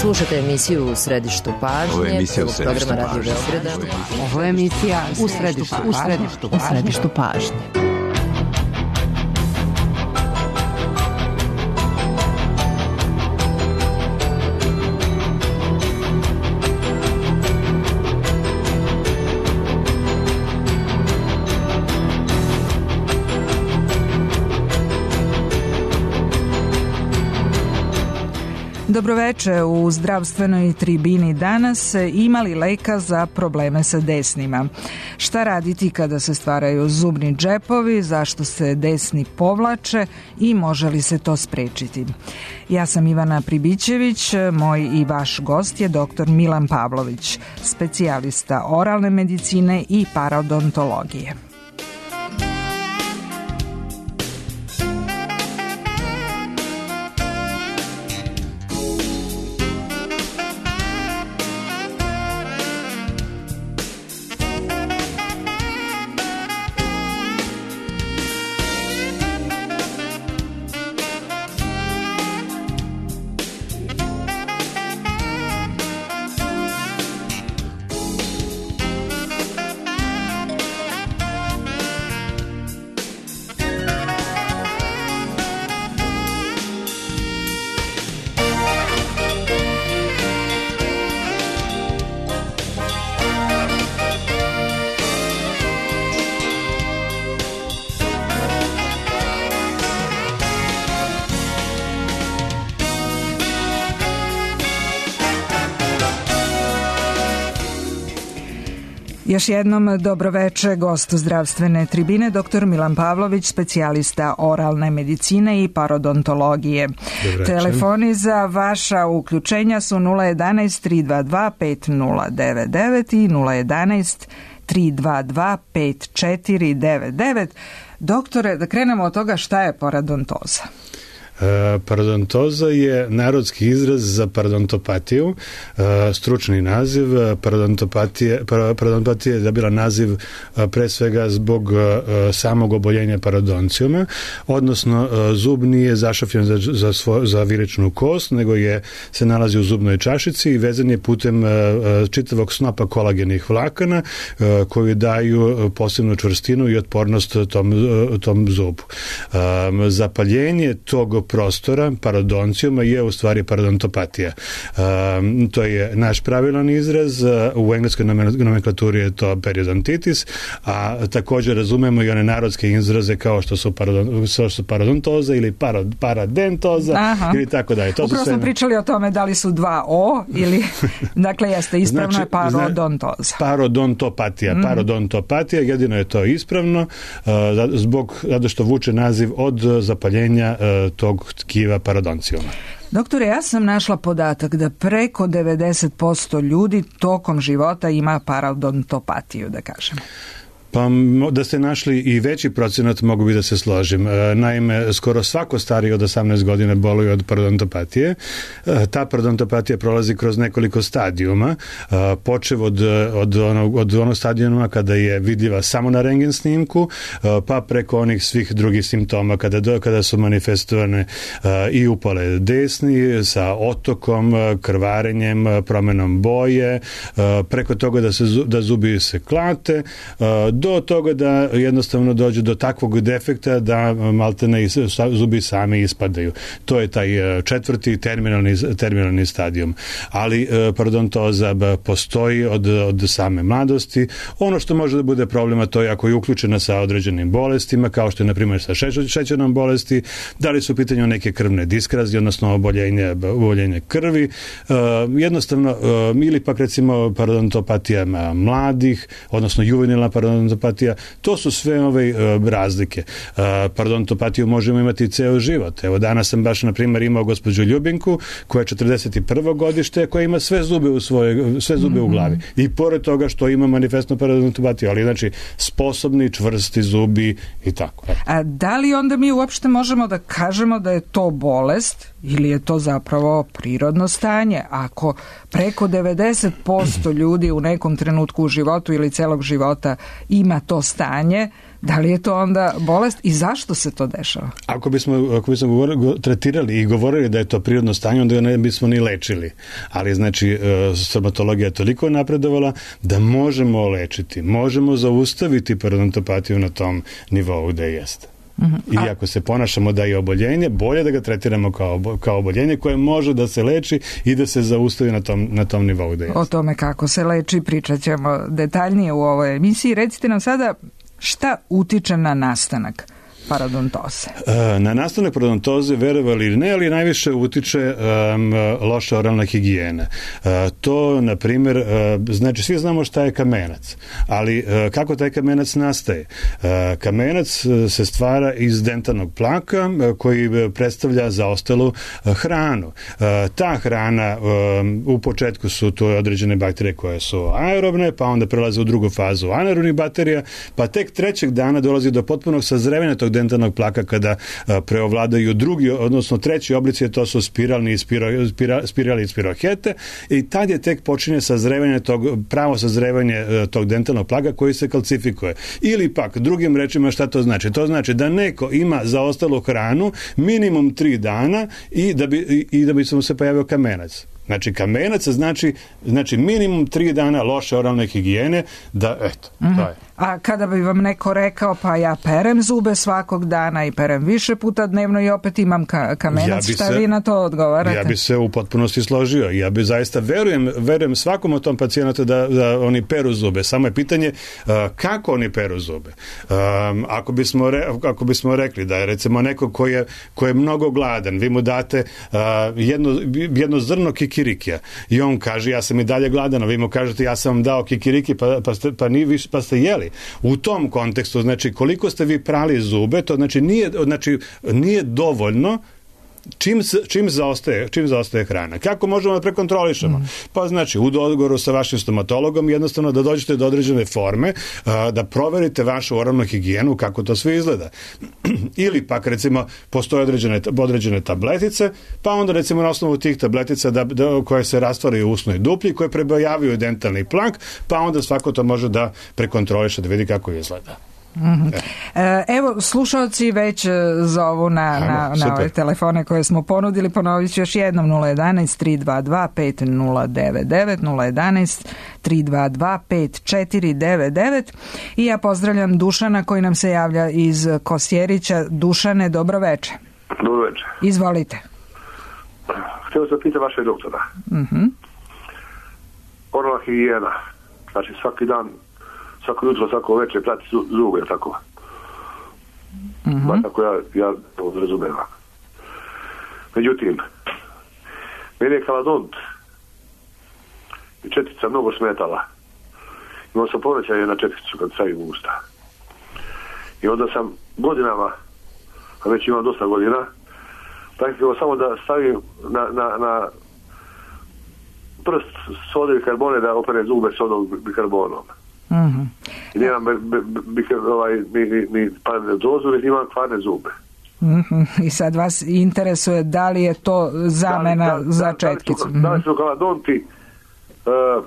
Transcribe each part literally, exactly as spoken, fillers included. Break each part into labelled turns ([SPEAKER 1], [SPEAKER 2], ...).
[SPEAKER 1] Slušajte emisiju U središtu pažnje.
[SPEAKER 2] Ovo je emisija U središtu
[SPEAKER 1] programa Radio
[SPEAKER 2] pažnje.
[SPEAKER 1] Beograda.
[SPEAKER 3] Ovo je emisija U središtu, u središtu, u središtu pažnje.
[SPEAKER 4] Dobroveče, u zdravstvenoj tribini danas imali leka za probleme sa desnima. Šta raditi kada se stvaraju zubni džepovi, zašto se desni povlače i može li se to sprečiti? Ja sam Ivana Pribićević, moj i vaš gost je doktor Milan Pavlović, specijalista oralne medicine i parodontologije. Još jednom dobroveče, gost zdravstvene tribine, doktor Milan Pavlović, specijalista oralne medicine i parodontologije.
[SPEAKER 5] Dobroveče.
[SPEAKER 4] Telefoni za vaša uključenja su nula jedan tri dva dva pet nula devet devet i nula jedan tri dva dva pet četiri devet devet. Doktore, da krenemo od toga šta je parodontoza.
[SPEAKER 5] E, parodontoza je narodski izraz za parodontopatiju, e, stručni naziv. Parodontopatije, parodontopatija je dobila naziv e, pre svega zbog e, samog oboljenja parodoncijuma, odnosno e, zub nije zašapljen za, za, svo, za viričnu kost, nego je se nalazi u zubnoj čašici i vezan je putem e, čitavog snopa kolagenih vlakana e, koji daju posebnu čvrstinu i otpornost tom, tom zubu. E, zapaljenje tog prostora parodoncijuma je u stvari parodontopatija. Um, to je naš pravilan izraz, u engleskoj nomenklaturi je to periodontitis, a također razumemo i one narodske izraze kao što su, parodon, što su parodontoza ili parod, paradentoza. Aha. Ili tako dalje. To
[SPEAKER 4] Upravo
[SPEAKER 5] sve...
[SPEAKER 4] smo pričali o tome da li su dva O ili, dakle jeste ispravno znači, je parodontoza.
[SPEAKER 5] Parodontopatija. Mm. Parodontopatija, jedino je to ispravno uh, zbog, zato što vuče naziv od zapaljenja uh, tog tkiva parodoncijuma.
[SPEAKER 4] Doktore, ja sam našla podatak da preko devedeset posto ljudi tokom života ima parodontopatiju, da kažem.
[SPEAKER 5] Pa da ste našli i veći procenat mogu bi da se složim. Naime, skoro svako stariji od osamnaest godina boluje od parodontopatije. Ta parodontopatija prolazi kroz nekoliko stadijuma, počev od, od, onog, od onog stadijuma kada je vidljiva samo na rentgen snimku, pa preko onih svih drugih simptoma kada, kada su manifestovane i upale desni sa otokom, krvarenjem, promenom boje, preko toga da, se, da zubi se klate, do toga da jednostavno dođe do takvog defekta da maltene zubi sami ispadaju. To je taj četvrti terminalni, terminalni stadijum. Ali parodontoza postoji od, od same mladosti. Ono što može da bude problema to je ako je uključena sa određenim bolestima, kao što je na primjer sa šećernom bolesti, da li su u pitanju neke krvne diskrazije, odnosno oboljenje, oboljenje krvi, jednostavno, ili pak recimo parodontopatija mladih, odnosno juvenilna parodontopatija, to su sve ove uh, razlike. Uh, parodontopatiju možemo imati ceo život. Evo, danas sam baš, na primjer, imao gospođu Ljubinku, koja je četrdeset prvo godište, koja ima sve zube u svoje, sve zube mm-hmm. u glavi. I pored toga što ima manifestnu parodontopatiju, ali znači sposobni, čvrsti zubi i tako.
[SPEAKER 4] A da li onda mi uopšte možemo da kažemo da je to bolest ili je to zapravo prirodno stanje? Ako preko devedeset posto ljudi u nekom trenutku u životu ili celog života ima to stanje, Da li je to onda bolest i zašto se to dešava?
[SPEAKER 5] Ako bismo, ako bismo govorili, tretirali i govorili da je to prirodno stanje, onda ne bismo ni lečili. Ali znači stomatologija je toliko napredovala da možemo lečiti, možemo zaustaviti periodontopatiju na tom nivou gde jeste. Mm-hmm. I ako se ponašamo da je oboljenje, bolje da ga tretiramo kao, kao oboljenje koje može da se leči i da se zaustavi na tom, na tom nivou gde jeste.
[SPEAKER 4] O tome kako se leči pričat ćemo detaljnije u ovoj emisiji. Recite nam sada šta utiče na nastanak parodontoze?
[SPEAKER 5] Na nastanak parodontoze, verovali ili ne, ali najviše utiče um, loša oralna higijena. Uh, to, na primjer, uh, znači svi znamo šta je kamenac, ali uh, kako taj kamenac nastaje? Uh, kamenac uh, se stvara iz dentalnog plaka uh, koji predstavlja zaostalu uh, hranu. Uh, ta hrana um, u početku su to određene bakterije koje su aerobne, pa onda prelaze u drugu fazu anaerobnih bakterija, pa tek trećeg dana dolazi do potpunog sazrevanja tog dentalnog plaka kada a, preovladaju drugi, odnosno treći oblici, to su spiralni i spiro, spira, spirali i spirohete, i tad je tek počinje sazrevanje tog, pravo sazrevanje a, tog dentalnog plaka koji se kalcifikuje. Ili pak, drugim rečima, šta to znači? To znači da neko ima zaostalu hranu minimum tri dana i da bi, i, i da bi se mu se pojavio kamenac. Znači, kamenac znači, znači minimum tri dana loše oralne higijene, da, eto, mm-hmm. to je.
[SPEAKER 4] A kada bi vam neko rekao, pa ja perem zube svakog dana i perem više puta dnevno i opet imam ka- kamenac, ja šta se, vi na to odgovarate?
[SPEAKER 5] Ja bi se u potpunosti složio. Ja bi zaista, verujem, verujem svakom od tom pacijentu da, da oni peru zube. Samo je pitanje uh, kako oni peru zube. Um, ako, bismo re, ako bismo rekli da je recimo neko ko je, ko je mnogo gladan, vi mu date uh, jedno, jedno zrno kikirikija i on kaže ja sam i dalje gladan, a vi mu kažete ja sam vam dao kikiriki pa, pa, ste, pa, ni, pa ste jeli. U tom kontekstu, znači koliko ste vi prali zube, to znači nije, znači, nije dovoljno čim, čim, zaostaje, čim zaostaje hrana. Kako možemo da prekontrolišemo? Mm. Pa znači u dogovoru sa vašim stomatologom jednostavno da dođete do određene forme, a, da proverite vašu oralnu higijenu, kako to sve izgleda. Ili pak recimo postoje određene, određene tabletice, pa onda recimo na osnovu tih tabletica da, da, koje se rastvaraju u usnoj duplji, koje prebojavaju dentalni plak, pa onda svako to može da prekontroliše, da vidi kako izgleda.
[SPEAKER 4] Mm-hmm. E, evo, slušalci već zovu na, Ajmo, na, na ove telefone koje smo ponudili. Ponovit ću još jednom: nula jedanaest tri dva dva pet nula devet devet, nula jedanaest tri dva dva pet četiri devet devet. I ja pozdravljam Dušana koji nam se javlja iz Kosjerića. Dušane, dobro veče.
[SPEAKER 2] Dobro veče.
[SPEAKER 4] Izvolite.
[SPEAKER 2] Htio sam pitati vaše doktora.
[SPEAKER 4] Mm-hmm.
[SPEAKER 2] Oralna higijena, znači svaki dan, svako jutro, svako večer prati zube, tako. Mm-hmm. Ba, tako ja, ja to razumijem. Međutim, meni je kaladont i četica mnogo smetala. Imao sam povećanje na četicu kad stavim u usta. I onda sam godinama, a već imam dosta godina, praktično samo da stavim na, na, na prst sode bikarbone da opere zube sodom bikarbonom.
[SPEAKER 4] Mm-hmm.
[SPEAKER 2] I nemam ovaj, ni, ni, ni parodontozu, ni imam kvarne zube.
[SPEAKER 4] Mm-hmm. I sad vas interesuje da li je to zamena da li, da, za da, četkicu?
[SPEAKER 2] Da, da li su kaladonti uh,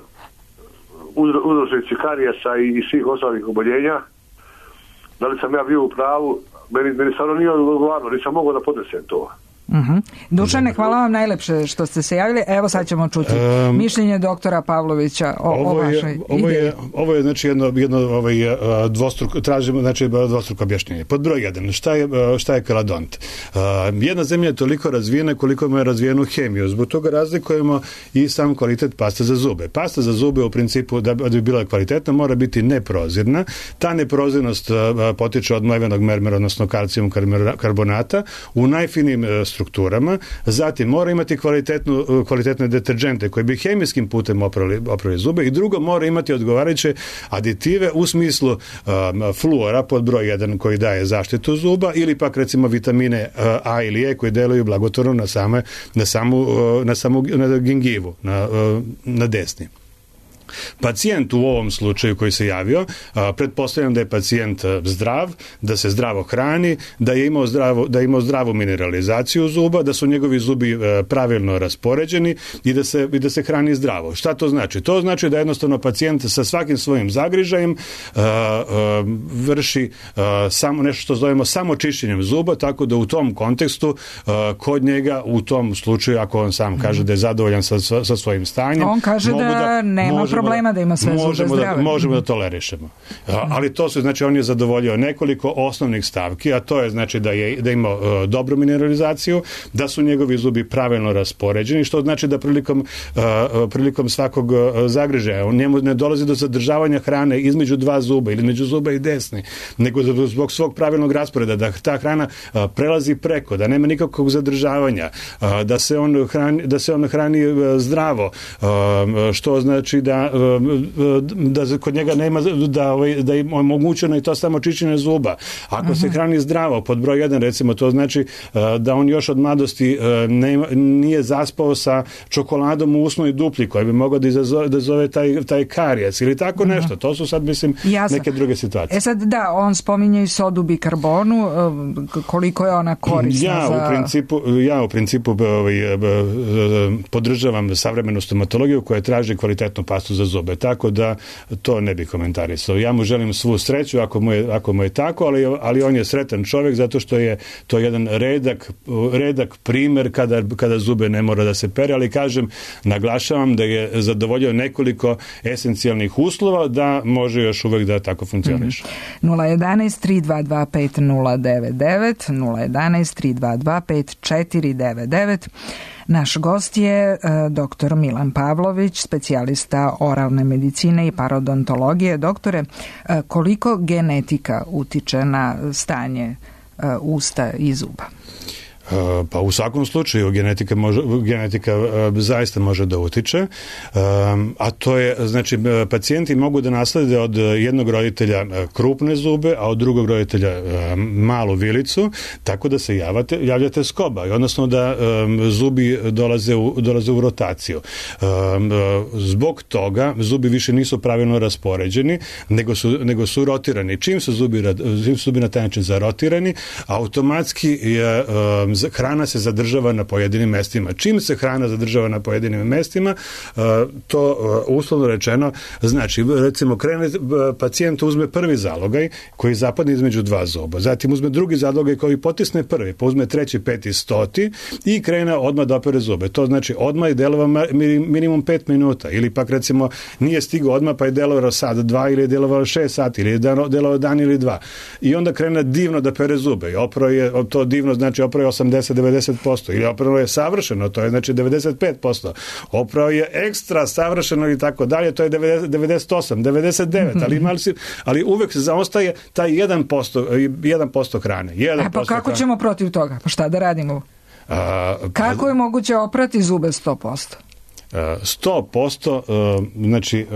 [SPEAKER 2] uzročnici karijesa i, i svih ostalih oboljenja? Da li sam ja bio u pravu? Meni, meni stvarno nije odgovarno, nisam mogao da podnesem to.
[SPEAKER 4] Uh-huh. Dušane, hvala vam najlepše što ste se javili. Evo sad ćemo čuti um, mišljenje doktora Pavlovića o,
[SPEAKER 5] ovo
[SPEAKER 4] o vašoj
[SPEAKER 5] je, ovo
[SPEAKER 4] ideji.
[SPEAKER 5] Je, ovo je znači jedno, jedno ovaj, dvostruko, tražimo znači dvostruko objašnjenje. Pod broj jedan, šta je, šta je kaladont? Uh, jedna zemlja je toliko razvijena koliko ima razvijenu hemiju. Zbog toga razlikujemo i sam kvalitet paste za zube. Pasta za zube u principu da bi bila kvalitetna mora biti neprozirna. Ta neprozirnost uh, potiče od mlevenog mermera, odnosno kalcijum karbonata u najfinijim uh, strukturama, zatim mora imati kvalitetnu, kvalitetne deterđente koji bi hemijskim putem oprali, oprali zube i drugo mora imati odgovarajuće aditive u smislu um, fluora pod broj jedan koji daje zaštitu zuba ili pak recimo vitamine uh, A ili E koji deluju blagotvorno na, same, na, samu, uh, na samu na gingivu, na, uh, na desni. Pacijent u ovom slučaju koji se javio, pretpostavljam da je pacijent zdrav, da se zdravo hrani, da je imao, zdravo, da je imao zdravu mineralizaciju zuba, da su njegovi zubi pravilno raspoređeni i da se, i da se hrani zdravo. Šta to znači? To znači da jednostavno pacijent sa svakim svojim zagrižajem uh, uh, vrši uh, samo nešto što zovemo samo čišćenjem zuba, tako da u tom kontekstu uh, kod njega u tom slučaju, ako on sam kaže da je zadovoljan sa, sa svojim stanjem,
[SPEAKER 4] on kaže da, da nema problema da ima sve zube
[SPEAKER 5] možemo
[SPEAKER 4] zdrave.
[SPEAKER 5] Da, možemo da tolerišemo. Ali to su, znači, on je zadovoljio nekoliko osnovnih stavki, a to je, znači, da je da ima uh, dobru mineralizaciju, da su njegovi zubi pravilno raspoređeni, što znači da prilikom, uh, prilikom svakog uh, zagrižaja, on njemu ne dolazi do zadržavanja hrane između dva zuba ili među zuba i desni, nego zbog svog pravilnog rasporeda, da ta hrana uh, prelazi preko, da nema nikakvog zadržavanja, uh, da se on hrani, da se on hrani uh, zdravo, uh, što znači da da kod njega nema da da je omogućeno i to samo čišćenje zuba. Ako uh-huh. se hrani zdravo, pod broj jedan, recimo, to znači da on još od mladosti nema, nije zaspao sa čokoladom u usnoj dupli koja bi mogao da izazove da zove taj taj karijes ili tako uh-huh. nešto. To su sad, mislim, Jasno. neke druge situacije.
[SPEAKER 4] E sad, da, on spominje i sodu bikarbonu, koliko je ona korisna
[SPEAKER 5] ja,
[SPEAKER 4] za...
[SPEAKER 5] u principu, ja u principu ovaj, podržavam savremenu stomatologiju koja traži kvalitetnu pastu za zube, tako da to ne bi komentarisao. Ja mu želim svu sreću ako mu je, ako mu je tako, ali, ali on je sretan čovjek zato što je to jedan redak, redak primer kada, kada zube ne mora da se pere, ali kažem, naglašavam da je zadovoljio nekoliko esencijalnih uslova da može još uvek da tako funkcioniše.
[SPEAKER 4] Mm-hmm. nula jedanaest tri dva dva pet nula devet devet, nula jedanaest tri dva dva pet četiri devet devet. Naš gost je uh, doktor Milan Pavlović, specijalista oralne medicine i parodontologije. Doktore, uh, koliko genetika utiče na stanje uh, usta i zuba?
[SPEAKER 5] Pa u svakom slučaju genetika, može, genetika zaista može da utiče, a to je, znači, pacijenti mogu da naslede od jednog roditelja krupne zube, a od drugog roditelja malu vilicu, tako da se javate, javljate skoba, odnosno da zubi dolaze u, dolaze u rotaciju. Zbog toga zubi više nisu pravilno raspoređeni, nego su, nego su rotirani. Čim su zubi, čim su zubi na taj način zarotirani, automatski je hrana se zadržava na pojedinim mestima. Čim se hrana zadržava na pojedinim mestima, to uslovno rečeno znači, recimo, krene, pacijent uzme prvi zalogaj koji zapadne između dva zuba, zatim uzme drugi zalogaj koji potisne prvi, pa uzme treći, peti, stoti i krene odmah da opere zube. To znači odmah je delovao minimum pet minuta, ili pak, recimo, nije stigao odmah pa je delovao sad dva ili je delovao šest sati ili je delovao dan ili dva. I onda krene divno da pere zube. I opro je, to divno znači opro je osamdeset do devedeset posto ili opravo je savršeno, to je znači devedeset pet posto. Opravo je ekstra savršeno i tako dalje, to je devedeset, devedeset osam, devedeset devet, ali, imali si, ali uvek se zaostaje taj jedan posto, jedan posto hrane. jedan
[SPEAKER 4] A pa kako
[SPEAKER 5] hrane.
[SPEAKER 4] ćemo protiv toga? Pa šta da radimo? A, kako pa, je moguće oprati zube sto posto?
[SPEAKER 5] sto posto, znači,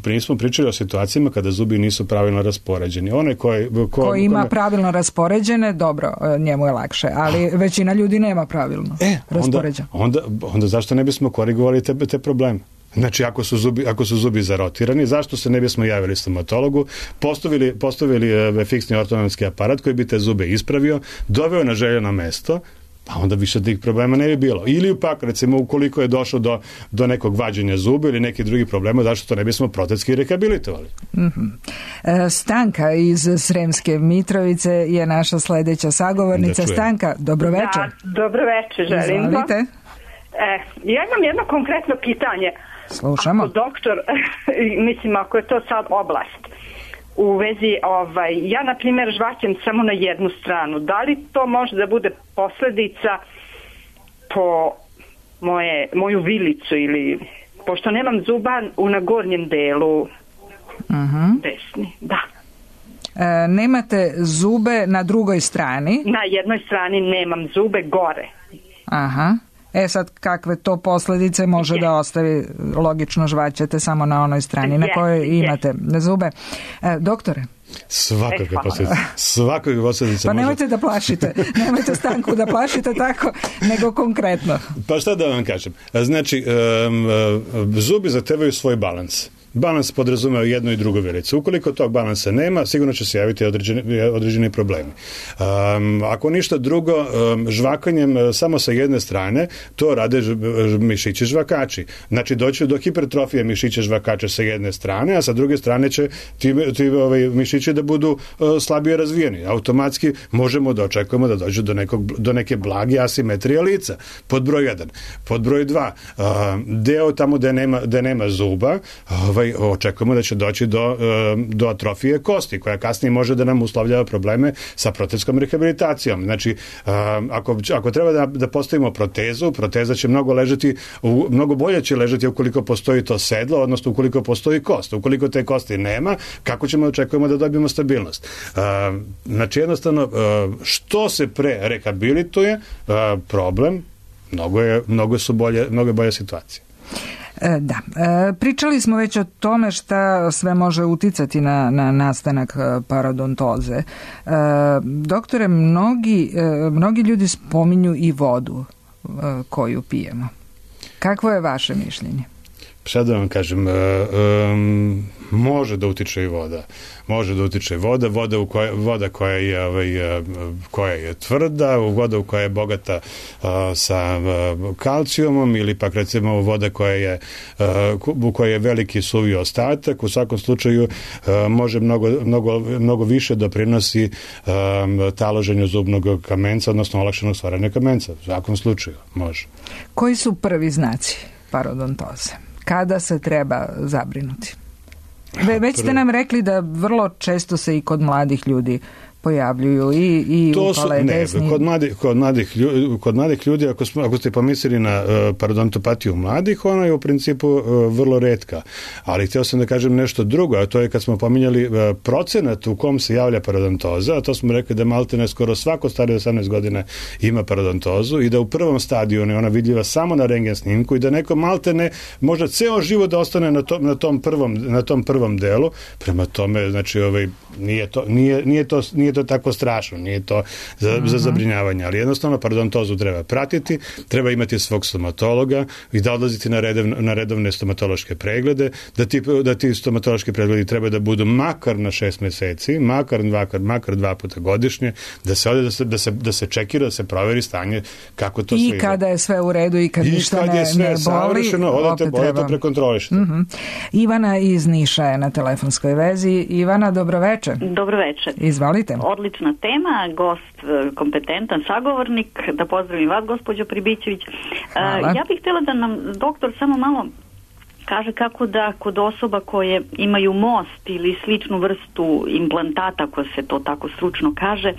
[SPEAKER 5] mi smo pričali o situacijama kada zubi nisu pravilno raspoređeni. One koje, ko,
[SPEAKER 4] ko ima kome... pravilno raspoređene, dobro, njemu je lakše, ali većina ljudi nema pravilno
[SPEAKER 5] e,
[SPEAKER 4] raspoređen.
[SPEAKER 5] Onda, onda, onda zašto ne bismo korigovali te, te probleme? Znači, ako su zubi, ako su zubi zarotirani, zašto se ne bismo javili stomatologu, postavili, postavili e, fiksni ortodonski aparat koji bi te zube ispravio, doveo na željeno mesto, pa onda više tih problema ne bi bilo. Ili pak, recimo, ukoliko je došlo do, do nekog vađenja zuba ili neki drugi problema, zašto to ne bismo protetski rehabilitovali?
[SPEAKER 4] Mm-hmm. E, Stanka iz Sremske Mitrovice je naša sledeća sagovornica. Da Stanka, dobroveče.
[SPEAKER 6] Da, dobroveče, želim.
[SPEAKER 4] Izvolite.
[SPEAKER 6] E, ja imam jedno konkretno pitanje.
[SPEAKER 4] Slušamo.
[SPEAKER 6] Ako doktor, mislim, ako je to sad oblast, u vezi, ovaj, ja na primjer žvaćem samo na jednu stranu. Da li to može da bude posljedica po moje, moju vilicu ili pošto nemam zuba u na gornjem delu uh-huh. desni, da.
[SPEAKER 4] E, nemate zube na drugoj strani?
[SPEAKER 6] Na jednoj strani nemam zube gore.
[SPEAKER 4] Aha. E sad, kakve to posljedice može yes. da ostavi? Logično žvaćete samo na onoj strani yes. na kojoj imate yes. zube. E, doktore?
[SPEAKER 5] Svakakve posljedice. Svakakve posljedice.
[SPEAKER 4] Pa nemojte može... da plašite. Nemojte Stanku da plašite tako, nego konkretno.
[SPEAKER 5] Pa šta da vam kažem? Znači, um, zubi zahtevaju svoj balans. Balans podrazumeva jednu i drugu vilicu. Ukoliko tog balansa nema, sigurno će se javiti određeni, određeni problemi. Um, ako ništa drugo, um, žvakanjem samo sa jedne strane, to rade ž, mišići žvakači. Znači, doći do hipertrofije mišića žvakača sa jedne strane, a sa druge strane će ti, ti ovaj, mišići da budu uh, slabije razvijeni. Automatski možemo da očekujemo da dođe do, nekog, do neke blage asimetrije lica. Pod broj jedan. Pod broj dva, uh, deo tamo gde nema, gde nema zuba, ovaj, očekujemo da će doći do, uh, do atrofije kosti, koja kasnije može da nam uslovljava probleme sa protezskom rehabilitacijom. Znači, uh, ako, ako treba da, da postavimo protezu, proteza će mnogo ležati, u, mnogo bolje će ležati ukoliko postoji to sedlo, odnosno ukoliko postoji kost. Ukoliko te kosti nema, kako ćemo očekujemo da dobijemo stabilnost? Uh, znači, jednostavno, uh, što se pre rehabilituje, uh, problem, mnogo je, mnogo su bolje, mnogo je bolja situacija.
[SPEAKER 4] E, da. E, pričali smo već o tome šta sve može uticati na, na nastanak parodontoze. E, doktore, mnogi, e, mnogi ljudi spominju i vodu e, koju pijemo. Kakvo je vaše mišljenje?
[SPEAKER 5] Sad da vam kažem, um, može da utiče i voda. Može da utiče voda, voda, u koja, voda koja, je, ovaj, koja je tvrda, voda u koja je bogata uh, sa uh, kalcijumom ili pak recimo voda koja je, uh, u kojoj je veliki suvi ostatak. U svakom slučaju uh, može mnogo, mnogo, mnogo više doprinosi um, taloženju zubnog kamenca, odnosno olakšanog stvaranja kamenca. U svakom slučaju može.
[SPEAKER 4] Koji su prvi znaci parodontoze? Kada se treba zabrinuti? Ve, već ste nam rekli da vrlo često se i kod mladih ljudi pojavljuju i, i
[SPEAKER 5] to
[SPEAKER 4] upale
[SPEAKER 5] su, ne,
[SPEAKER 4] desni.
[SPEAKER 5] Kod mladih, kod mladih, ljudi, kod mladih ljudi, ako, smo, ako ste pomislili na uh, parodontopatiju mladih, ona je u principu uh, vrlo retka. Ali htio sam da kažem nešto drugo, a to je kad smo pominjali uh, procenat u kom se javlja parodontoza, a to smo rekli da maltene skoro svako starije od osamnaest godina ima parodontozu i da u prvom stadiju je ona vidljiva samo na rentgen snimku i da neko maltene možda ceo život da ostane na tom, na tom, prvom, na tom prvom delu. Prema tome, znači, ovaj, nije to, nije, nije to, nije to tako strašno, nije to za, uh-huh. za zabrinjavanje, ali jednostavno parodontozu treba pratiti, treba imati svog stomatologa i da odlaziti na, redev, na redovne stomatološke preglede, da ti, da ti stomatološki pregledi treba da budu makar na šest meseci, makar dva, makar dva puta godišnje, da se ode, da se, da se, da se čekira, da se proveri stanje kako to
[SPEAKER 4] I
[SPEAKER 5] sve
[SPEAKER 4] kada je sve u redu i kad
[SPEAKER 5] I
[SPEAKER 4] ništa
[SPEAKER 5] kad
[SPEAKER 4] ne,
[SPEAKER 5] je sve
[SPEAKER 4] ne boli,
[SPEAKER 5] savršeno, odete, odete prekontrolišite.
[SPEAKER 4] Uh-huh. Ivana iz Niša je na telefonskoj vezi. Ivana, dobroveče.
[SPEAKER 7] Dobroveče.
[SPEAKER 4] Izvalite.
[SPEAKER 7] Odlična tema, gost kompetentan sagovornik, da pozdravim vas, gospođo Pribićević.
[SPEAKER 4] Hvala.
[SPEAKER 7] Ja bih htjela da nam doktor samo malo kaže kako da kod osoba koje imaju most ili sličnu vrstu implantata, ako se to tako stručno kaže,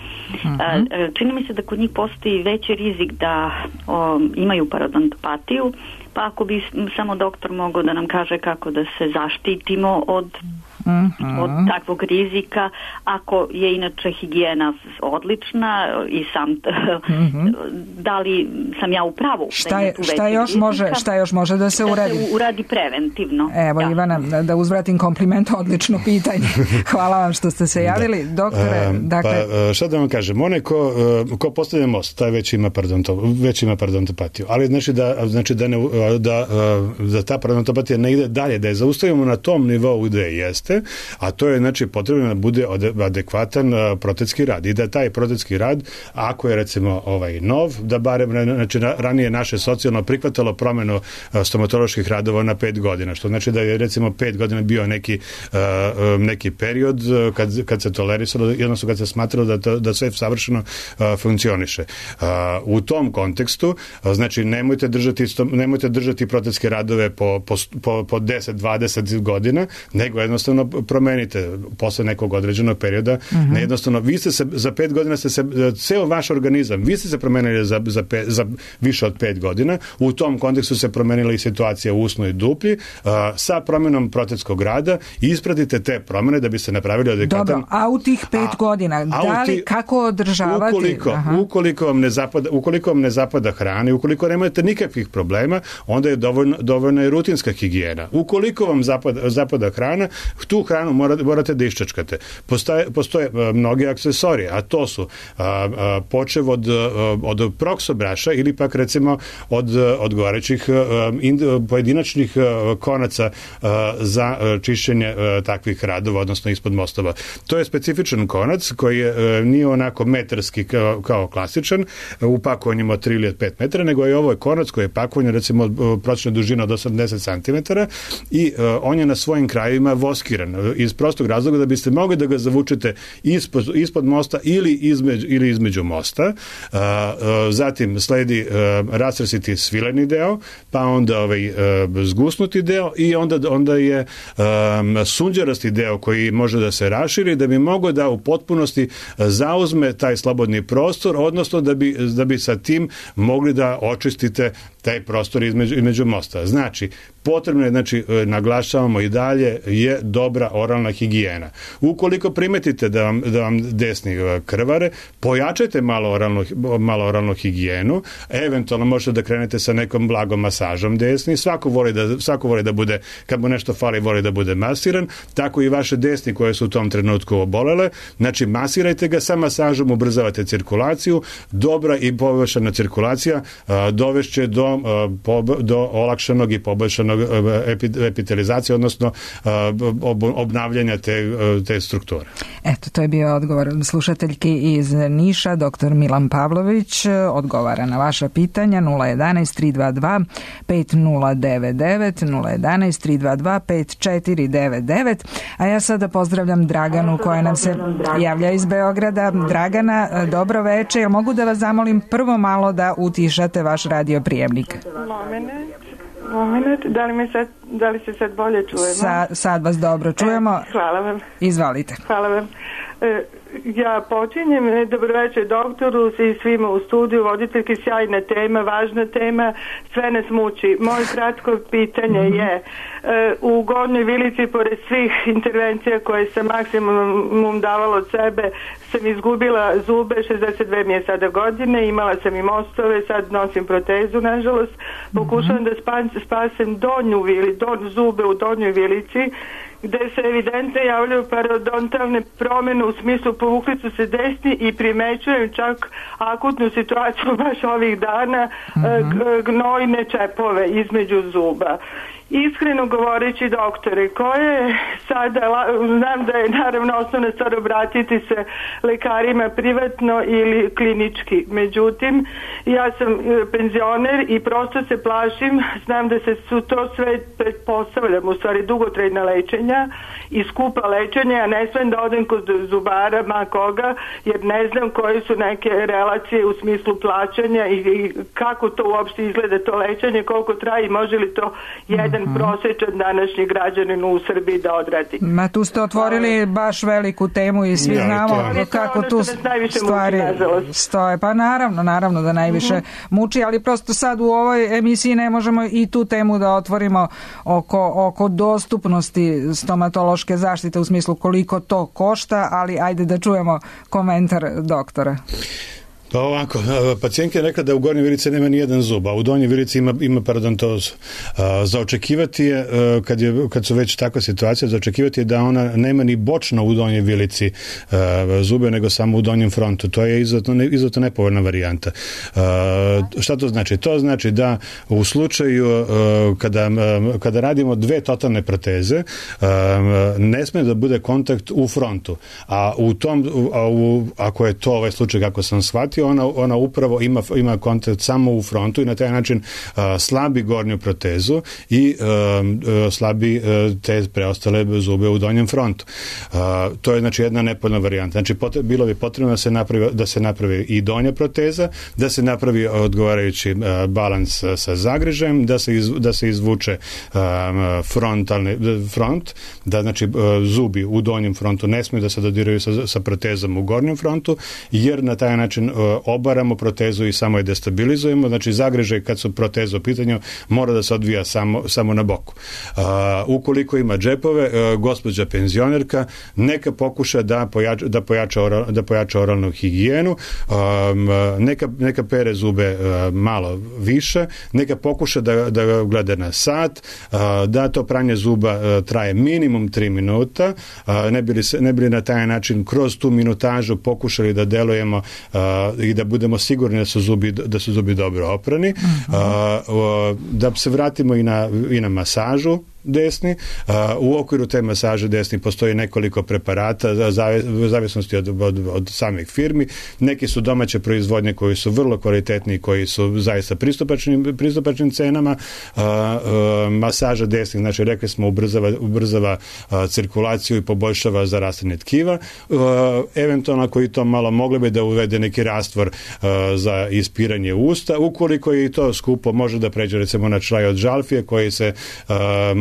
[SPEAKER 7] uh-huh. čini mi se da kod njih postoji veći rizik da o, imaju parodontopatiju, pa ako bi samo doktor mogao da nam kaže kako da se zaštitimo od uh-huh. od takvog rizika, ako je inače higijena odlična i sam uh-huh. da li sam ja u pravu?
[SPEAKER 4] Šta, je, šta, još može, šta još može da se
[SPEAKER 7] da
[SPEAKER 4] uradi?
[SPEAKER 7] Da se uradi preventivno.
[SPEAKER 4] Evo, ja. Ivana, da, da uzvratim kompliment, odlično pitanje. Hvala vam što ste se javili. Da. Doktore, um, dakle...
[SPEAKER 5] Pa, šta da vam kažem, onaj ko, ko postavlja most, taj već ima, već ima parodontopatiju. Ali znači da, znači da, ne, da, da ta parodontopatija ne ide dalje, da je zaustavimo na tom nivou gde jeste, a to je znači potrebno da bude adekvatan protetski rad i da taj protetski rad, ako je recimo ovaj nov, da barem znači ranije naše socijalno prihvatalo promenu stomatoloških radova na pet godina, što znači da je recimo pet godina bio neki, neki period kad, kad se tolerisalo, jednostavno kad se smatralo da, to, da sve savršeno funkcioniše. U tom kontekstu, znači nemojte držati, nemojte držati protetske radove po, po, po deset dvadeset godina, nego jednostavno promenite posle nekog određenog perioda. Uh-huh. Ne jednostavno, vi ste se, za pet godina ste se, ceo vaš organizam, vi ste se promenili za, za, pe, za više od pet godina. U tom kontekstu se promenila i situacija u usnoj duplji. Uh, sa promenom protetskog rada ispratite te promene da bi se napravili adekvatan...
[SPEAKER 4] Dobro, a u tih pet a, godina, da li, ti, kako održavati?
[SPEAKER 5] Ukoliko, ukoliko, vam ne zapada, ukoliko vam ne zapada hrana i ukoliko nemate nikakvih problema, onda je dovoljno, dovoljna je rutinska higijena. Ukoliko vam zapada, zapada hrana, tu tu hranu morate, morate da iščačkate. Postoje, postoje mnogi aksesorije, a to su a, a, počev od, od proksobraša ili pak recimo od odgovarajućih pojedinačnih konaca a, za čišćenje a, takvih radova, odnosno ispod mostova. To je specifičan konac koji je, nije onako metarski kao, kao klasičan u pakovanjima od tri ili od pet metara, nego je ovo konac koji je pakovan recimo prosječna dužina od osamdeset centimetara i uh, on je na svojim krajevima voskiran iz prostog razloga da biste mogli da ga zavučete ispod, ispod mosta ili između, ili između mosta. Uh, uh, zatim sledi uh, rastresiti svileni deo, pa onda ovaj uh, zgusnuti deo i onda, onda je um, sunđerasti deo koji može da se raširi da bi mogao da u potpunosti zauzme taj slobodni prostor, odnosno da bi, da bi sa tim mogli da očistite taj prostor između, između mosta. Znači, potrebno je, znači, naglašavamo i dalje, je dobra oralna higijena. Ukoliko primetite da vam, da vam desni krvare, pojačajte malo oralnu, malo oralnu higijenu, eventualno možete da krenete sa nekom blagom masažom desni, svako voli da, svako voli da bude, kad mu nešto fali, voli da bude masiran, tako i vaše desni koje su u tom trenutku obolele, znači masirajte ga, sa masažom ubrzavate cirkulaciju, dobra i poboljšana cirkulacija a, dovešće do, a, pob, do olakšanog i poboljšanog epitelizacije, odnosno ob, obnavljanja te, te strukture.
[SPEAKER 4] Eto, to je bio odgovor slušateljki iz Niša, doktor Milan Pavlović, odgovara na vaša pitanja nula jedanaest tri dva dva pet nula devet devet, nula jedanaest tri dva dva pet četiri devet devet, a ja sada pozdravljam Draganu koja nam se javlja iz Beograda. Dragana, dobro veče, jel mogu da vas zamolim prvo malo da utišate vaš radio prijemnik?
[SPEAKER 8] Moment. Moment, da li, me sad, da li se sad bolje čujemo?
[SPEAKER 4] Sa, sad vas dobro čujemo.
[SPEAKER 8] E, hvala vam.
[SPEAKER 4] Izvalite.
[SPEAKER 8] Hvala vam. E, ja počinjem, dobroveče doktoru i svima u studiju, voditeljki, sjajna tema, važna tema, sve nas muči. Moje kratko pitanje je, e, u Gornjoj Vilici, pored svih intervencija koje sam maksimum davala od sebe, sam izgubila zube, šezdeset dve mi je sada godine, imala sam i mostove, sad nosim protezu, nažalost, pokušavam da spasem donju vili, don, zube u Donjoj Vilici, gde se evidentno javljaju parodontalne promjene u smislu povukli su se desni i primećujem čak akutnu situaciju baš ovih dana, mm-hmm. gnojne čepove između zuba. Iskreno govoreći, doktore, koje sada, znam da je naravno osnovna stvar obratiti se lekarima privatno ili klinički, međutim ja sam penzioner i prosto se plašim, znam da se su to sve, pretpostavljam, u stvari dugotrajna lečenja i skupa lečenja, ja ne smem da odem kod zubara ma koga, jer ne znam koje su neke relacije u smislu plaćanja i, i kako to uopšte izgleda to lečenje, koliko traje i može li to jedan mm-hmm. prosječan današnji građanin u Srbiji da odradi.
[SPEAKER 4] Ma tu ste otvorili baš veliku temu i svi ja, znamo to, kako tu stvari muči, stoje. Pa naravno, naravno da najviše mm-hmm. muči, ali prosto sad u ovoj emisiji ne možemo i tu temu da otvorimo oko, oko dostupnosti stomatološke zaštite u smislu koliko to košta, ali ajde da čujemo komentar doktora.
[SPEAKER 5] Pa ovako, pacijentka je rekla da u Gornjoj Vilici nema ni jedan zub, a u Donjoj Vilici ima, ima parodontozu. Za očekivati je, kad, je, kad su već takva situacija, za očekivati je da ona nema ni bočno u Donjoj Vilici zube, nego samo u donjem frontu. To je izuzetno, izuzetno nepovoljna varijanta. Šta to znači? To znači da u slučaju kada, kada radimo dve totalne proteze, ne smije da bude kontakt u frontu. A u tom, a u, ako je to ovaj slučaj kako sam shvatio, Ona, ona upravo ima, ima kontakt samo u frontu i na taj način uh, slabi gornju protezu i uh, uh, slabi uh, te preostale zube u donjem frontu. Uh, to je znači jedna nepovoljna varijanta. Znači pot, bilo bi potrebno da se napravi, da se napravi i donja proteza, da se napravi odgovarajući uh, balans uh, sa zagrižajem, da se, iz, da se izvuče um, frontalni front, da znači uh, zubi u donjem frontu ne smiju da se dodiraju sa, sa protezom u gornjem frontu, jer na taj način uh, obaramo protezu i samo je destabilizujemo. Znači zagrežaj kad su proteze u pitanju mora da se odvija samo, samo na boku. Uh, ukoliko ima džepove, uh, gospođa penzionerka neka pokuša da pojača, da pojača, oral, da pojača oralnu higijenu, um, neka, neka pere zube uh, malo više, neka pokuša da, da gleda na sat, uh, da to pranje zuba uh, traje minimum tri minuta, uh, ne bi li, se, ne bi li na taj način kroz tu minutažu pokušali da delujemo uh, i da budemo sigurni da su zubi, da su zubi dobro oprani, uh, uh, da se vratimo i na, i na masažu desni. U okviru te masaže desni postoji nekoliko preparata u zavisnosti od, od, od samih firmi. Neki su domaće proizvodnje koji su vrlo kvalitetni i koji su zaista pristupačnim, pristupačnim cenama. Masaža desnih, znači rekli smo, ubrzava, ubrzava cirkulaciju i poboljšava zarastanje tkiva. Eventualno ako i to malo mogli bi da uvede neki rastvor za ispiranje usta. Ukoliko je i to skupo, može da pređe recimo na čaj od žalfije koji se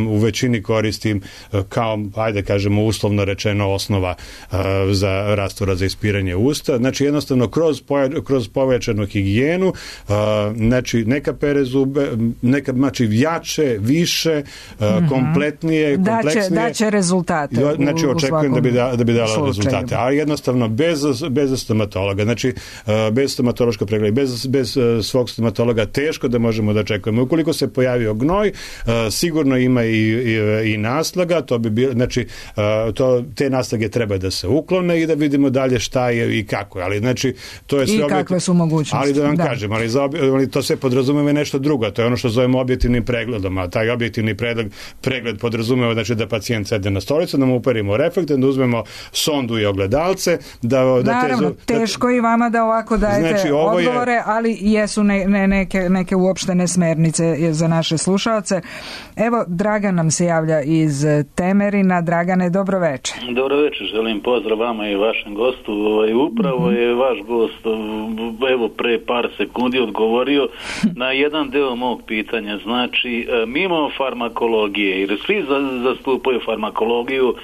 [SPEAKER 5] u većini koristim kao, ajde kažemo, uslovno rečeno osnova uh, za rastvora za ispiranje usta. Znači jednostavno kroz, poja, kroz povećanu higijenu, uh, znači neka pere zube, neka znači jače, više, uh, mm-hmm. kompletnije, kompleksnije.
[SPEAKER 4] Daće, daće rezultate.
[SPEAKER 5] Znači
[SPEAKER 4] u,
[SPEAKER 5] očekujem
[SPEAKER 4] u
[SPEAKER 5] da bi, da, da bi dala
[SPEAKER 4] slučaju.
[SPEAKER 5] rezultate. Ali jednostavno bez, bez stomatologa, znači uh, bez stomatološkog pregleda, bez, bez uh, svog stomatologa teško da možemo da očekujemo. Ukoliko se pojavio gnoj, uh, sigurno ima i I, i naslaga, to bi bilo, znači uh, to, te naslage treba da se uklone i da vidimo dalje šta je i kako, ali znači to je sve
[SPEAKER 4] i kakve objektiv... su mogućnosti.
[SPEAKER 5] Ali da vam da. kažem, ali, za obje, ali to sve podrazumeva nešto drugo, to je ono što zovemo objektivnim pregledom, a taj objektivni pregled, pregled podrazumeva znači da pacijent sede na stolicu, da mu uperimo reflektor, da uzmemo sondu i ogledalce, da, da
[SPEAKER 4] naravno,
[SPEAKER 5] te, da,
[SPEAKER 4] teško i vama da ovako dajete znači, odgovore, je... ali jesu ne, ne, neke, neke uopštene smernice za naše slušalce. Evo, Dragan nam se javlja iz Temerina. Dragane, dobro večer.
[SPEAKER 9] Dobro večer, želim pozdrav vama i vašem gostu. Upravo mm-hmm. je vaš gost evo pre par sekundi odgovorio na jedan deo mog pitanja. Znači, mimo farmakologije, jer svi zastupaju farmakologiju,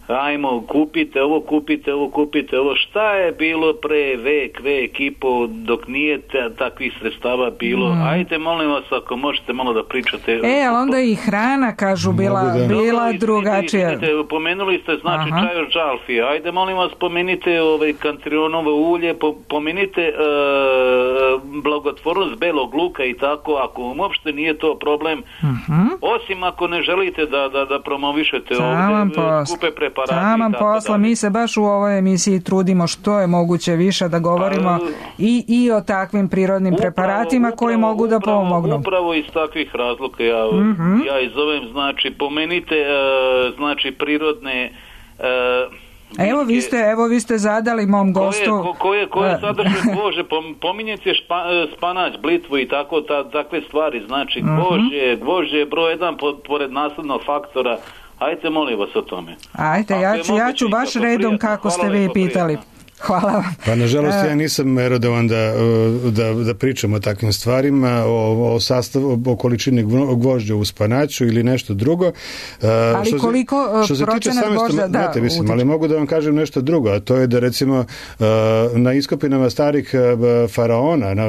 [SPEAKER 9] ajmo, kupite ovo, kupite ovo, kupite ovo. Šta je bilo pre vek, vek i po, dok nije te, takvih sredstava bilo? Mm. Ajde, molim vas, ako možete malo da pričate.
[SPEAKER 4] E, ali onda i hrana, kažu, bila, da. bila no, drugačija. Vidite,
[SPEAKER 9] pomenuli ste, znači, Aha. čaj od žalfije. Ajde, molim vas, pomenite ovaj, kantrionovo ulje, po, pomenite uh, blagotvornost belog luka i tako, ako vam uopšte nije to problem. Uh-huh. Osim ako ne želite da, da, da promovišete ovdje skupe preparate.
[SPEAKER 4] Taman posla, mi se baš u ovoj emisiji trudimo što je moguće više da govorimo A, i, i o takvim prirodnim upravo, preparatima upravo, koji mogu da
[SPEAKER 9] upravo,
[SPEAKER 4] pomognu.
[SPEAKER 9] Upravo iz takvih razloga ja, mm-hmm. ja izovem, znači, pomenite uh, znači prirodne uh,
[SPEAKER 4] Evo vi ste, evo vi ste zadali mom gostu.
[SPEAKER 9] Koje, koje, koje sadrže kože, pominjete špa, spanać, blitvu i tako, ta, takve stvari, znači mm-hmm. kože, gvožđe je broj jedan pored naslednog faktora. Ajte, molim vas o tome.
[SPEAKER 4] Ajte, ja ću, ja ću baš redom kako ste vi pitali. Hvala vam.
[SPEAKER 5] Pa nažalost ja nisam merodovan da, da, da pričam o takvim stvarima, o, o sastavu, o količini gvožđa u spanaću ili nešto drugo.
[SPEAKER 4] Ali što koliko
[SPEAKER 5] se, što
[SPEAKER 4] procenat gvožđa da
[SPEAKER 5] utiče. Mislim, ali mogu da vam kažem nešto drugo, a to je da recimo na iskopinama starih faraona, na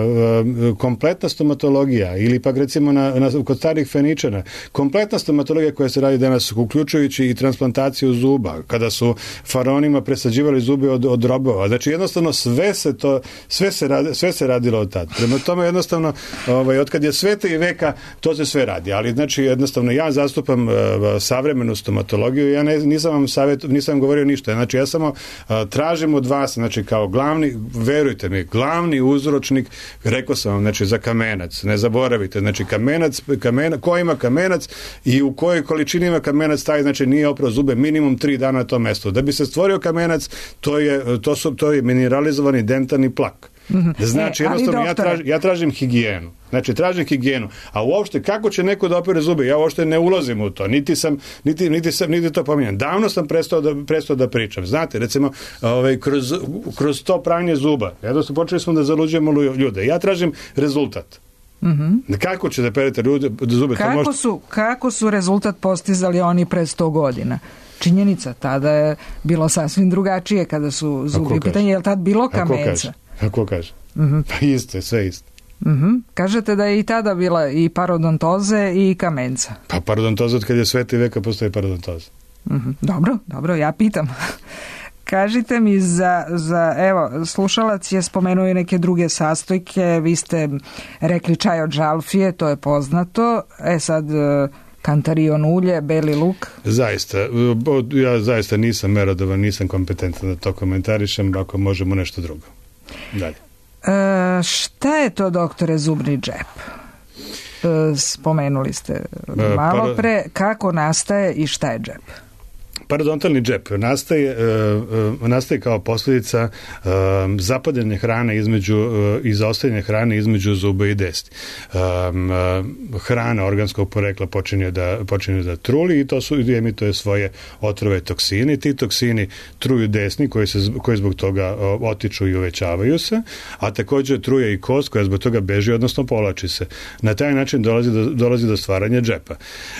[SPEAKER 5] kompletna stomatologija ili pak recimo na, na, kod starih Feničana, kompletna stomatologija koja se radi danas, uključujući i transplantaciju zuba, kada su faraonima presađivali zube od, od robova. Znači jednostavno sve se to sve se radi, sve se radilo od tada. Prema tome jednostavno ovaj od kad je sveta i veka to se sve radi, ali znači jednostavno ja zastupam uh, savremenu stomatologiju, ja ne, nisam vam savjet, nisam vam govorio ništa. Znači ja samo uh, tražim od vas, znači kao glavni, verujte mi, glavni uzročnik, rekao sam vam, znači za kamenac, ne zaboravite, znači kamenac, kamenac, ko ima kamenac i u kojoj količini ima kamenac, taj znači nije oprao zube minimum tri dana na tom mestu. Da bi se stvorio kamenac, to je to su to je mineralizovani dentalni plak. Mm-hmm. Znači, e, jednostavno, ja, traž, ja tražim higijenu. Znači, tražim higijenu. A uopšte, kako će neko da opere zube? Ja uopšte ne ulazim u to. Niti sam, niti, niti sam, niti to pominjam. Davno sam prestao da, prestao da pričam. Znate, recimo, ovaj, kroz, kroz to pranje zuba, jednostavno, počeli smo da zaluđujemo ljude. Ja tražim rezultat. Mm-hmm. Kako će da perete ljude, zube?
[SPEAKER 4] Kako, možete... su, kako su rezultat postizali oni pre sto godina? Činjenica, tada je bilo sasvim drugačije kada su zubi pitanje, je li tad bilo kameca?
[SPEAKER 5] Kako kaže?
[SPEAKER 4] Mm-hmm.
[SPEAKER 5] Pa isto je, sve isto.
[SPEAKER 4] Mm-hmm. Kažete da je i tada bila i parodontoze i kamenca.
[SPEAKER 5] Pa parodontoza, od kad je sveta veka postoji parodontoza.
[SPEAKER 4] Mm-hmm. Dobro, dobro, ja pitam. Kažite mi za, za, evo, slušalac je spomenuo i neke druge sastojke, vi ste rekli čaj od žalfije, to je poznato, e sad kantarion ulje, beli luk.
[SPEAKER 5] Zaista, ja zaista nisam merodovan, nisam kompetentan da to komentarišem, ako možemo nešto drugo. Dalje.
[SPEAKER 4] E, šta je to, doktore, zubni džep? E, spomenuli ste malo pre, kako nastaje i šta je džep?
[SPEAKER 5] Parodontalni džep nastaje, uh, nastaje kao posljedica uh, zapadanja hrane između, uh, i zaostajanja hrane između zuba i desni. Um, uh, hrana organskog porekla počinje da, počinje da truli i to su, emituje svoje otrove toksini. Ti toksini truju desni koji, se, koji zbog toga uh, otiču i uvećavaju se, a također truje i kost koja zbog toga beži, odnosno povlači se. Na taj način dolazi do, dolazi do stvaranja džepa.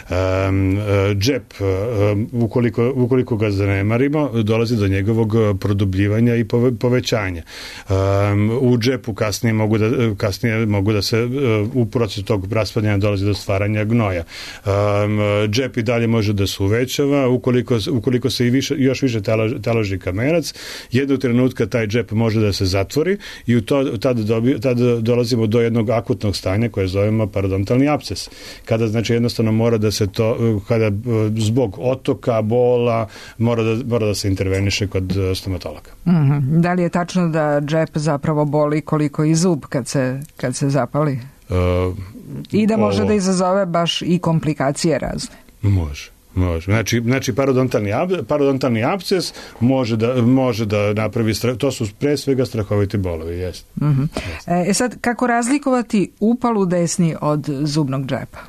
[SPEAKER 5] Um, uh, džep, uh, ukoliko ukoliko ga zanemarimo, dolazi do njegovog produbljivanja i povećanja. Um, u džepu kasnije mogu da, kasnije mogu da se u procesu tog raspadanja dolazi do stvaranja gnoja. Um, džep i dalje može da se uvećava, ukoliko, ukoliko se i više, još više taloži, taloži kamenac, jednog trenutka taj džep može da se zatvori i u to, tada, dobi, tada dolazimo do jednog akutnog stanja koje zovemo parodontalni apses. Kada znači jednostavno mora da se to, kada zbog otoka, bola, mora da, mora da se interveniše kod stomatologa.
[SPEAKER 4] Mm-hmm. Da li je tačno da džep zapravo boli koliko i zub kad se, kad se zapali?
[SPEAKER 5] Uh,
[SPEAKER 4] I da može
[SPEAKER 5] ovo,
[SPEAKER 4] da izazove baš i komplikacije razne?
[SPEAKER 5] Može. Može. Znači, znači parodontalni, ab, parodontalni apses može da, može da napravi, to su pre svega strahoviti bolovi, jest.
[SPEAKER 4] Mm-hmm. E sad, kako razlikovati upal u desni od zubnog džepa?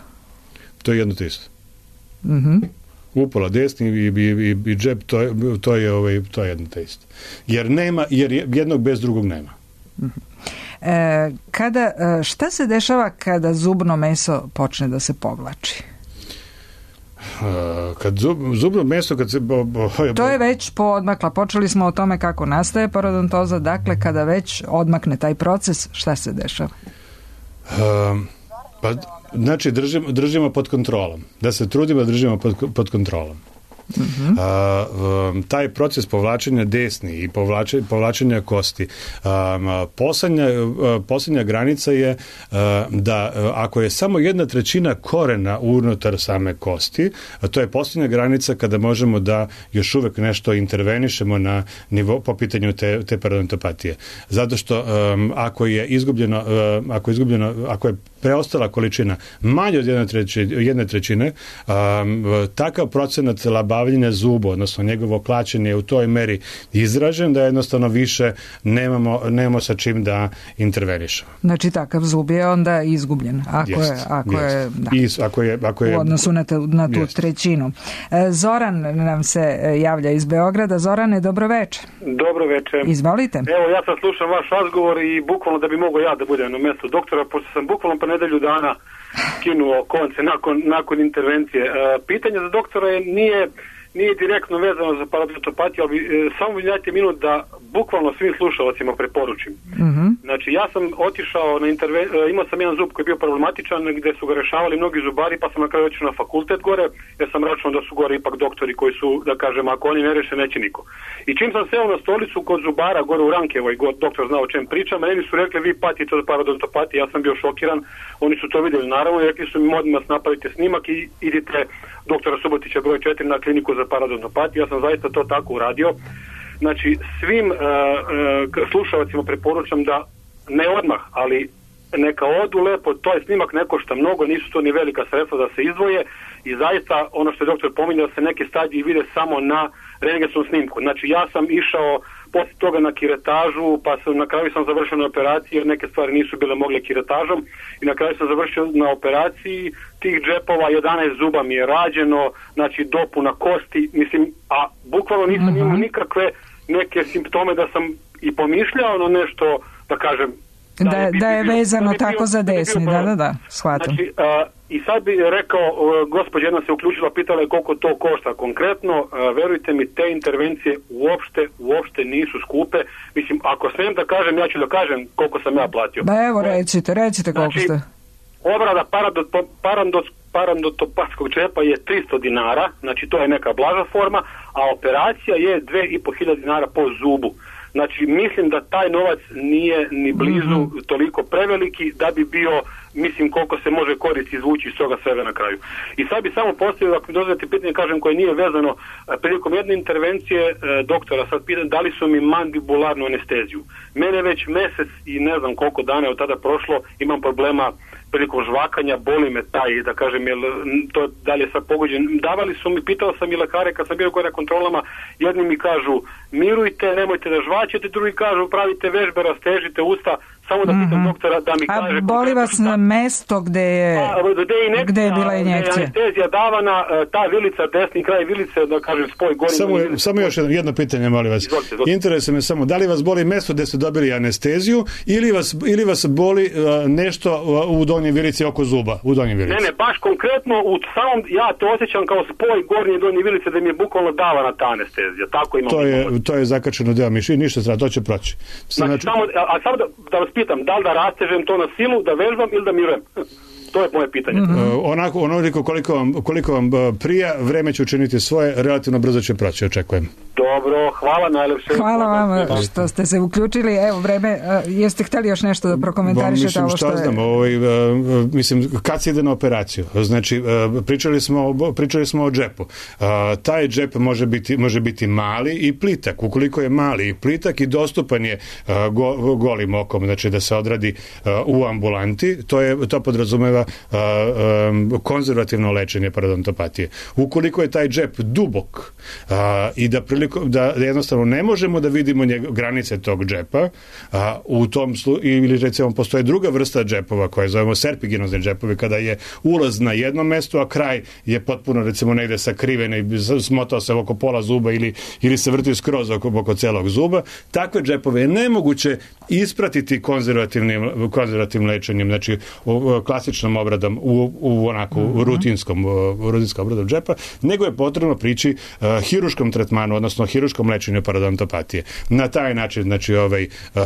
[SPEAKER 5] To je jedno te isto.
[SPEAKER 4] Mhm.
[SPEAKER 5] Upala desni i, i, i, i džep, to je, to je, ovaj, to je jedno te isto. Jer nema, jer jednog bez drugog nema.
[SPEAKER 4] E, kada, šta se dešava kada zubno meso počne da se povlači?
[SPEAKER 5] Kad zub, zubno meso kad se bo, bo,
[SPEAKER 4] to je već poodmakla, počeli smo o tome kako nastaje parodontoza, dakle kada već odmakne taj proces, šta se dešava?
[SPEAKER 5] Um, pa znači držimo, držimo pod kontrolom, da se trudimo da držimo pod, pod kontrolom. Uh-huh. A, um, taj proces povlačenja desni i povlačenja, povlačenja kosti, um, poslednja, uh, poslednja granica je uh, da uh, ako je samo jedna trećina korena unutar same kosti, a to je poslednja granica kada možemo da još uvek nešto intervenišemo na nivo po pitanju te, te parodontopatije. Zato što um, ako je izgubljeno, uh, ako je izgubljeno, ako je preostala količina manje od jedne trećine, jedne trećine um, takav procenat labavljenja zuba, odnosno njegovo klačenje je u toj meri izražen da jednostavno više nemamo, nemamo sa čim da intervenišemo.
[SPEAKER 4] Znači takav zub je onda izgubljen. Ako jest, je, ako
[SPEAKER 5] jest.
[SPEAKER 4] je, da.
[SPEAKER 5] I, ako je, ako je,
[SPEAKER 4] u odnosu na, te, na tu jest. trećinu. Zoran nam se javlja iz Beograda. Zorane, dobro večer.
[SPEAKER 10] Dobro večer.
[SPEAKER 4] Izvolite.
[SPEAKER 10] Evo, ja sad slušam vaš razgovor i bukvalno da bi mogao ja da budem na mjestu doktora, pošto sam bukvalno pa nedelju dana skinuo konce nakon, nakon intervencije. E, pitanje za doktora je, nije, nije direktno vezano za parodontopatiju, ali e, samo mi dajte minut da bukvalno svim slušalcima preporučim.
[SPEAKER 4] Mm-hmm.
[SPEAKER 10] Znači, ja sam otišao na intervenciju, imao sam jedan zub koji je bio problematičan, gde su ga rešavali mnogi zubari, pa sam na kraju otišao na fakultet gore, jer sam računao da su gore ipak doktori koji su, da kažem, ako oni ne reše, neće niko. I čim sam seo na stolicu kod zubara gore u Rankevoj, doktor znao o čem pričam, meni su rekli, vi patite od parodontopatije, ja sam bio šokiran, oni su to vidjeli naravno i rekli su mi, molim vas, napravite snimak i idite doktora Subotića broj četiri na kliniku za parodontopatiju. Ja sam zaista to tako uradio. Znači, svim uh, uh, slušalcima preporučam da ne odmah, ali neka odu lepo, to je snimak ne košta mnogo, nisu to ni velika sredstva da se izdvoje i zaista ono što je doktor pominjao da se neke stadije vide samo na rentgenskom snimku. Znači, ja sam išao posle toga na kiretažu, pa sam, na kraju sam završio na operaciji jer neke stvari nisu bile mogle kiretažom i na kraju sam završio na operaciji tih džepova, jedanaest zuba mi je rađeno, znači dopuna kosti, mislim, a bukvalno nisam imao nikakve neke simptome da sam i pomišljao na nešto, da kažem,
[SPEAKER 4] Da, da, bi, da je vezano bi tako bio, za desni, da, da, da, shvatam.
[SPEAKER 10] Znači, a, i sad bi rekao, gospođa jedna se uključila, pitala je koliko to košta konkretno, a, verujte mi, te intervencije uopšte, uopšte nisu skupe. Mislim, ako smijem da kažem, ja ću da kažem koliko sam ja platio.
[SPEAKER 4] Ba evo, recite, recite koliko
[SPEAKER 10] znači,
[SPEAKER 4] ste.
[SPEAKER 10] Obrada parandotopatskog džepa je tristo dinara, znači to je neka blaža forma, a operacija je dve i po hiljade dinara po zubu. Znači, mislim da taj novac nije ni blizu mm-hmm. toliko preveliki da bi bio, mislim, koliko se može koristiti izvući iz toga svega na kraju. I sad bi samo postavio, ako mi dozvolite pitanje, kažem, koje nije vezano, prilikom jedne intervencije e, doktora, sad pitam, da li su mi mandibularnu anesteziju. Mene već mesec i ne znam koliko dana je od tada prošlo, imam problema prilikom žvakanja, boli me taj, da kažem, jel, to dalje sad pogođen. Davali su mi, pitao sam i lekare kad sam bio gore na kontrolama, jedni mi kažu mirujte, nemojte da žvačete, drugi kažu pravite vežbe, rastežite usta, samo da pitam mm-hmm. doktora da mi
[SPEAKER 4] a
[SPEAKER 10] kaže...
[SPEAKER 4] A boli vas na mesto gde je,
[SPEAKER 10] a, gde je, inekcija,
[SPEAKER 4] gde je bila injekcija?
[SPEAKER 10] Anestezija davana, ta vilica, desni kraj vilice, da kažem, spoj gore...
[SPEAKER 5] Samo, je, samo još jedno, jedno pitanje, molim vas. Izvolite, izvolite. Interesuje me samo, da li vas boli mesto gde ste dobili anesteziju ili vas, ili vas boli uh, nešto u donjoj vilici oko zuba, u donjoj vilici?
[SPEAKER 10] Ne, ne, baš konkretno u samom, ja to osjećam kao spoj gornje i donje vilice da mi je bukvalno davana ta anestezija. Tako imam.
[SPEAKER 5] To je, to je zakačeno deo miši, ništa strada, to će proći.
[SPEAKER 10] Znači, znači, samo, a, a samo da, da vas pitam, da li da rastežem to na silu, da vežbam ili da mirujem? To je moje pitanje.
[SPEAKER 5] Mm-hmm. Uh, onako, onoliko koliko vam, koliko vam prija, vreme će učiniti svoje, relativno brzo će proći, očekujem.
[SPEAKER 10] Dobro, hvala najlepše.
[SPEAKER 4] Hvala vam što ste se uključili. Evo, vreme, uh, jeste hteli još nešto da prokomentarišete ovo što je...
[SPEAKER 5] Mislim, šta znam, ovaj, uh, mislim, kad se ide na operaciju? Znači, uh, pričali, smo, pričali smo o džepu. Uh, taj džep može biti, može biti mali i plitak. Ukoliko je mali i plitak i dostupan je uh, go, golim okom, znači da se odradi uh, u ambulanti, to, je, to podrazumeva uh, um, konzervativno lečenje parodontopatije. Ukoliko je taj džep dubok uh, i da prilikom da jednostavno ne možemo da vidimo njeg, granice tog džepa, a u tom slu, ili recimo postoje druga vrsta džepova koje zovemo serpiginozne džepovi, kada je ulaz na jednom mestu, a kraj je potpuno recimo negde sakriven i smotao se oko pola zuba ili, ili se vrti skroz oko, oko celog zuba. Takve džepove je nemoguće ispratiti konzervativnim, konzervativnim lečenjem, znači u, klasičnom obradom u, u onako uh-huh. rutinskom, u rutinskom obradom džepa, nego je potrebno prići uh, hiruškom tretmanu, odnosno hiruškom lečenju parodontopatije. Na taj način, znači, ovaj, uh,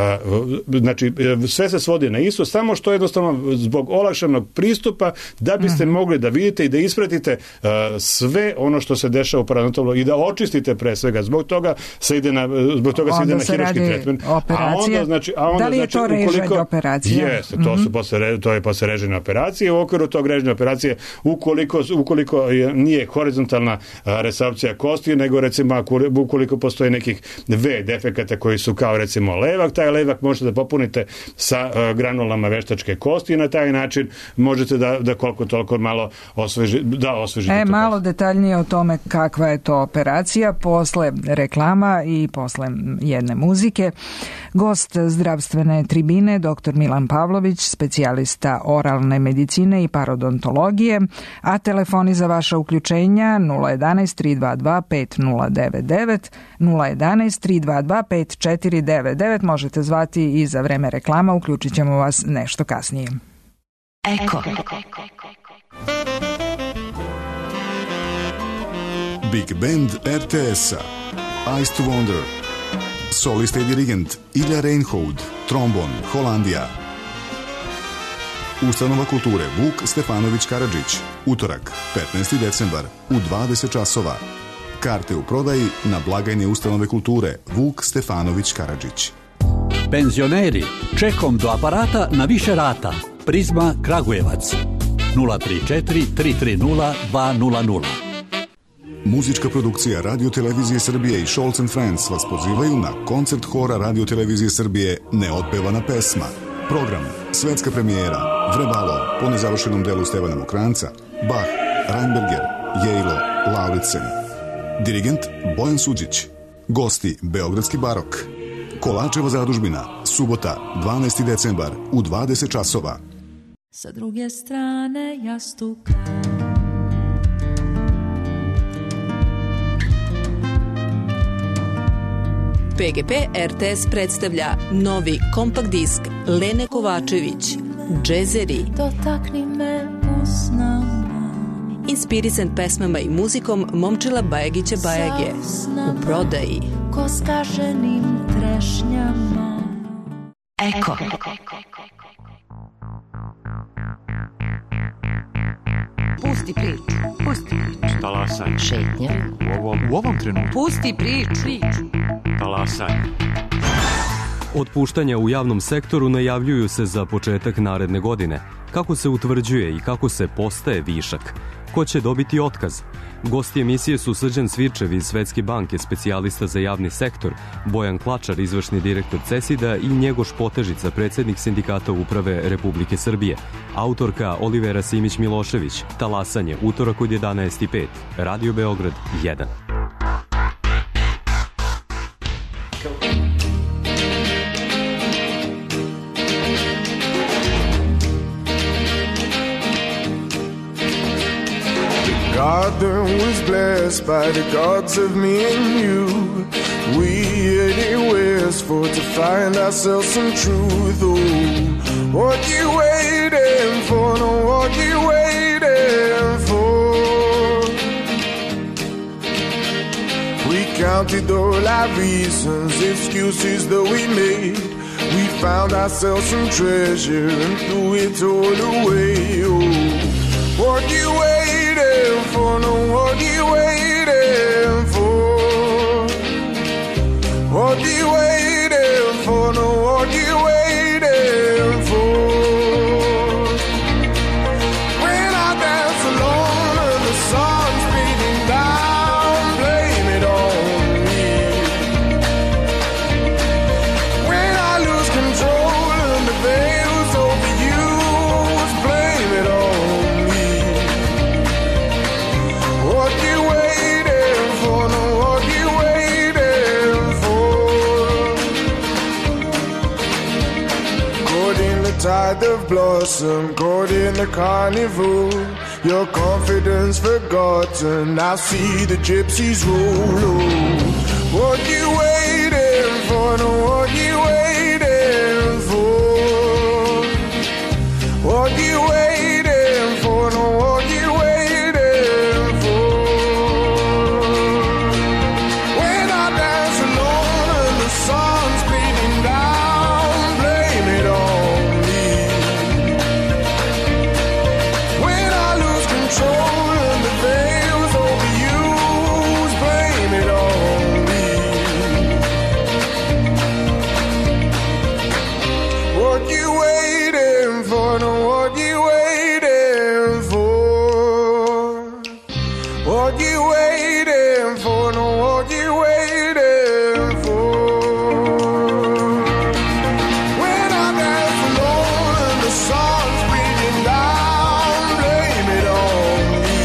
[SPEAKER 5] znači, sve se svodi na isto, samo što jednostavno zbog olakšanog pristupa da biste uh-huh. mogli da vidite i da ispratite uh, sve ono što se dešava u parodontologiji i da očistite pre svega. Zbog toga se ide na, zbog toga se ide na hiruški tretman.
[SPEAKER 4] A onda, znači, a onda,
[SPEAKER 5] da li je
[SPEAKER 4] znači, to režanje operacije?
[SPEAKER 5] Jeste, to, mm-hmm. su posle, to je posle režanje operacije. U okviru tog režanja operacije, ukoliko, ukoliko je, nije horizontalna a, resorpcija kosti, nego recimo ukoliko postoje nekih V defekata koji su kao recimo levak, taj levak možete da popunite sa a, granulama veštačke kosti i na taj način možete da, da koliko toliko malo osveži, da osvežite.
[SPEAKER 4] E, malo kosti. Detaljnije o tome kakva je to operacija posle reklama i posle jedne muzike. Gost zdravstvene tribine, doktor Milan Pavlović, specijalista oralne medicine i parodontologije, a telefoni za vaša uključenja nula jedanaest tri dva dva pet nula devet devet, nula jedanaest tri dva dva pet četiri devet devet, možete zvati i za vreme reklama, uključit ćemo vas nešto kasnije.
[SPEAKER 3] Eko.
[SPEAKER 11] Big Band er te es-a, Ice to Wonder, solista i dirigent Ilja Reinhold, trombon, Holandija. Ustanova kulture Vuk Stefanović Karadžić, utorak, petnaesti decembar, u dvadeset časova. Karte u prodaji na blagajni Ustanove kulture Vuk Stefanović Karadžić.
[SPEAKER 12] Penzioneri, čekom do aparata na više rata. Prizma Kragujevac, nula tri četiri tri tri nula dva nula nula.
[SPEAKER 11] Muzička produkcija Radio Televizije Srbije i Scholz and Friends vas pozivaju na koncert hora Radio Televizije Srbije Neotpevana pesma. Program, svetska premijera, Vrebalo, po nezavršenom delu Stevana Mokranca, Bach, Reinberger, Jejlo, Lauritsen. Dirigent Bojan Suđić. Gosti Beogradski barok. Kolačeva zadužbina, subota, dvanaesti decembar, u dvadeset časova.
[SPEAKER 13] Sa druge strane jastuka.
[SPEAKER 14] P G P R T S predstavlja novi kompakt disk Lene Kovačević, džezeri,
[SPEAKER 13] dotakni me usnama,
[SPEAKER 14] inspirisan pesmama i muzikom Momčila Bajagića Bajage, u prodaji
[SPEAKER 13] ko skaženim trešnjama.
[SPEAKER 3] Eko. Pusti priču, pusti priču.
[SPEAKER 15] Talasaj.
[SPEAKER 1] Šetnja.
[SPEAKER 15] U ovom, u ovom trenutku.
[SPEAKER 3] Pusti priču.
[SPEAKER 15] Talasaj.
[SPEAKER 16] Otpuštanja u javnom sektoru najavljuju se za početak naredne godine. Kako se utvrđuje i kako se postaje višak? Ko će dobiti otkaz? Gosti emisije su Srđan Svirčev iz Svetske banke, specijalista za javni sektor, Bojan Klačar, izvršni direktor CESID-a i Njegoš Potežica, predsednik Sindikata uprave Republike Srbije. Autorka Olivera Simić-Milošević, Talasanje, utorak od jedanaest i pet, Radio Beograd jedan.
[SPEAKER 17] Garden was blessed by the gods of me and you. We anywheres for to find ourselves some truth. Oh, what you waiting for? No, what you waiting for? We counted all our reasons, excuses that we made. We found ourselves some treasure and threw it all away. Oh, what you waiting for? No, what you waiting for? What you waiting for? No, what you waiting for? When I dance alone and the sun's beating down, blame it on me. When I lose control and the veil's overused, blame it on me. What you waiting for? No, what you waiting for? Caught in the tide of blossom, caught in the carnival. Your confidence forgotten, I see the gypsies roll. Oh, what you waiting for? No, what you waiting for? What you waiting for? No, what you waiting for? When I dance alone and the sun's beating down, blame it on me. When I lose control and the veil's overused, blame it on me. What you waiting for? No, what you waiting for? What you waiting for? No, what you waiting for? When I dance alone and the sun's beating down, blame it on me.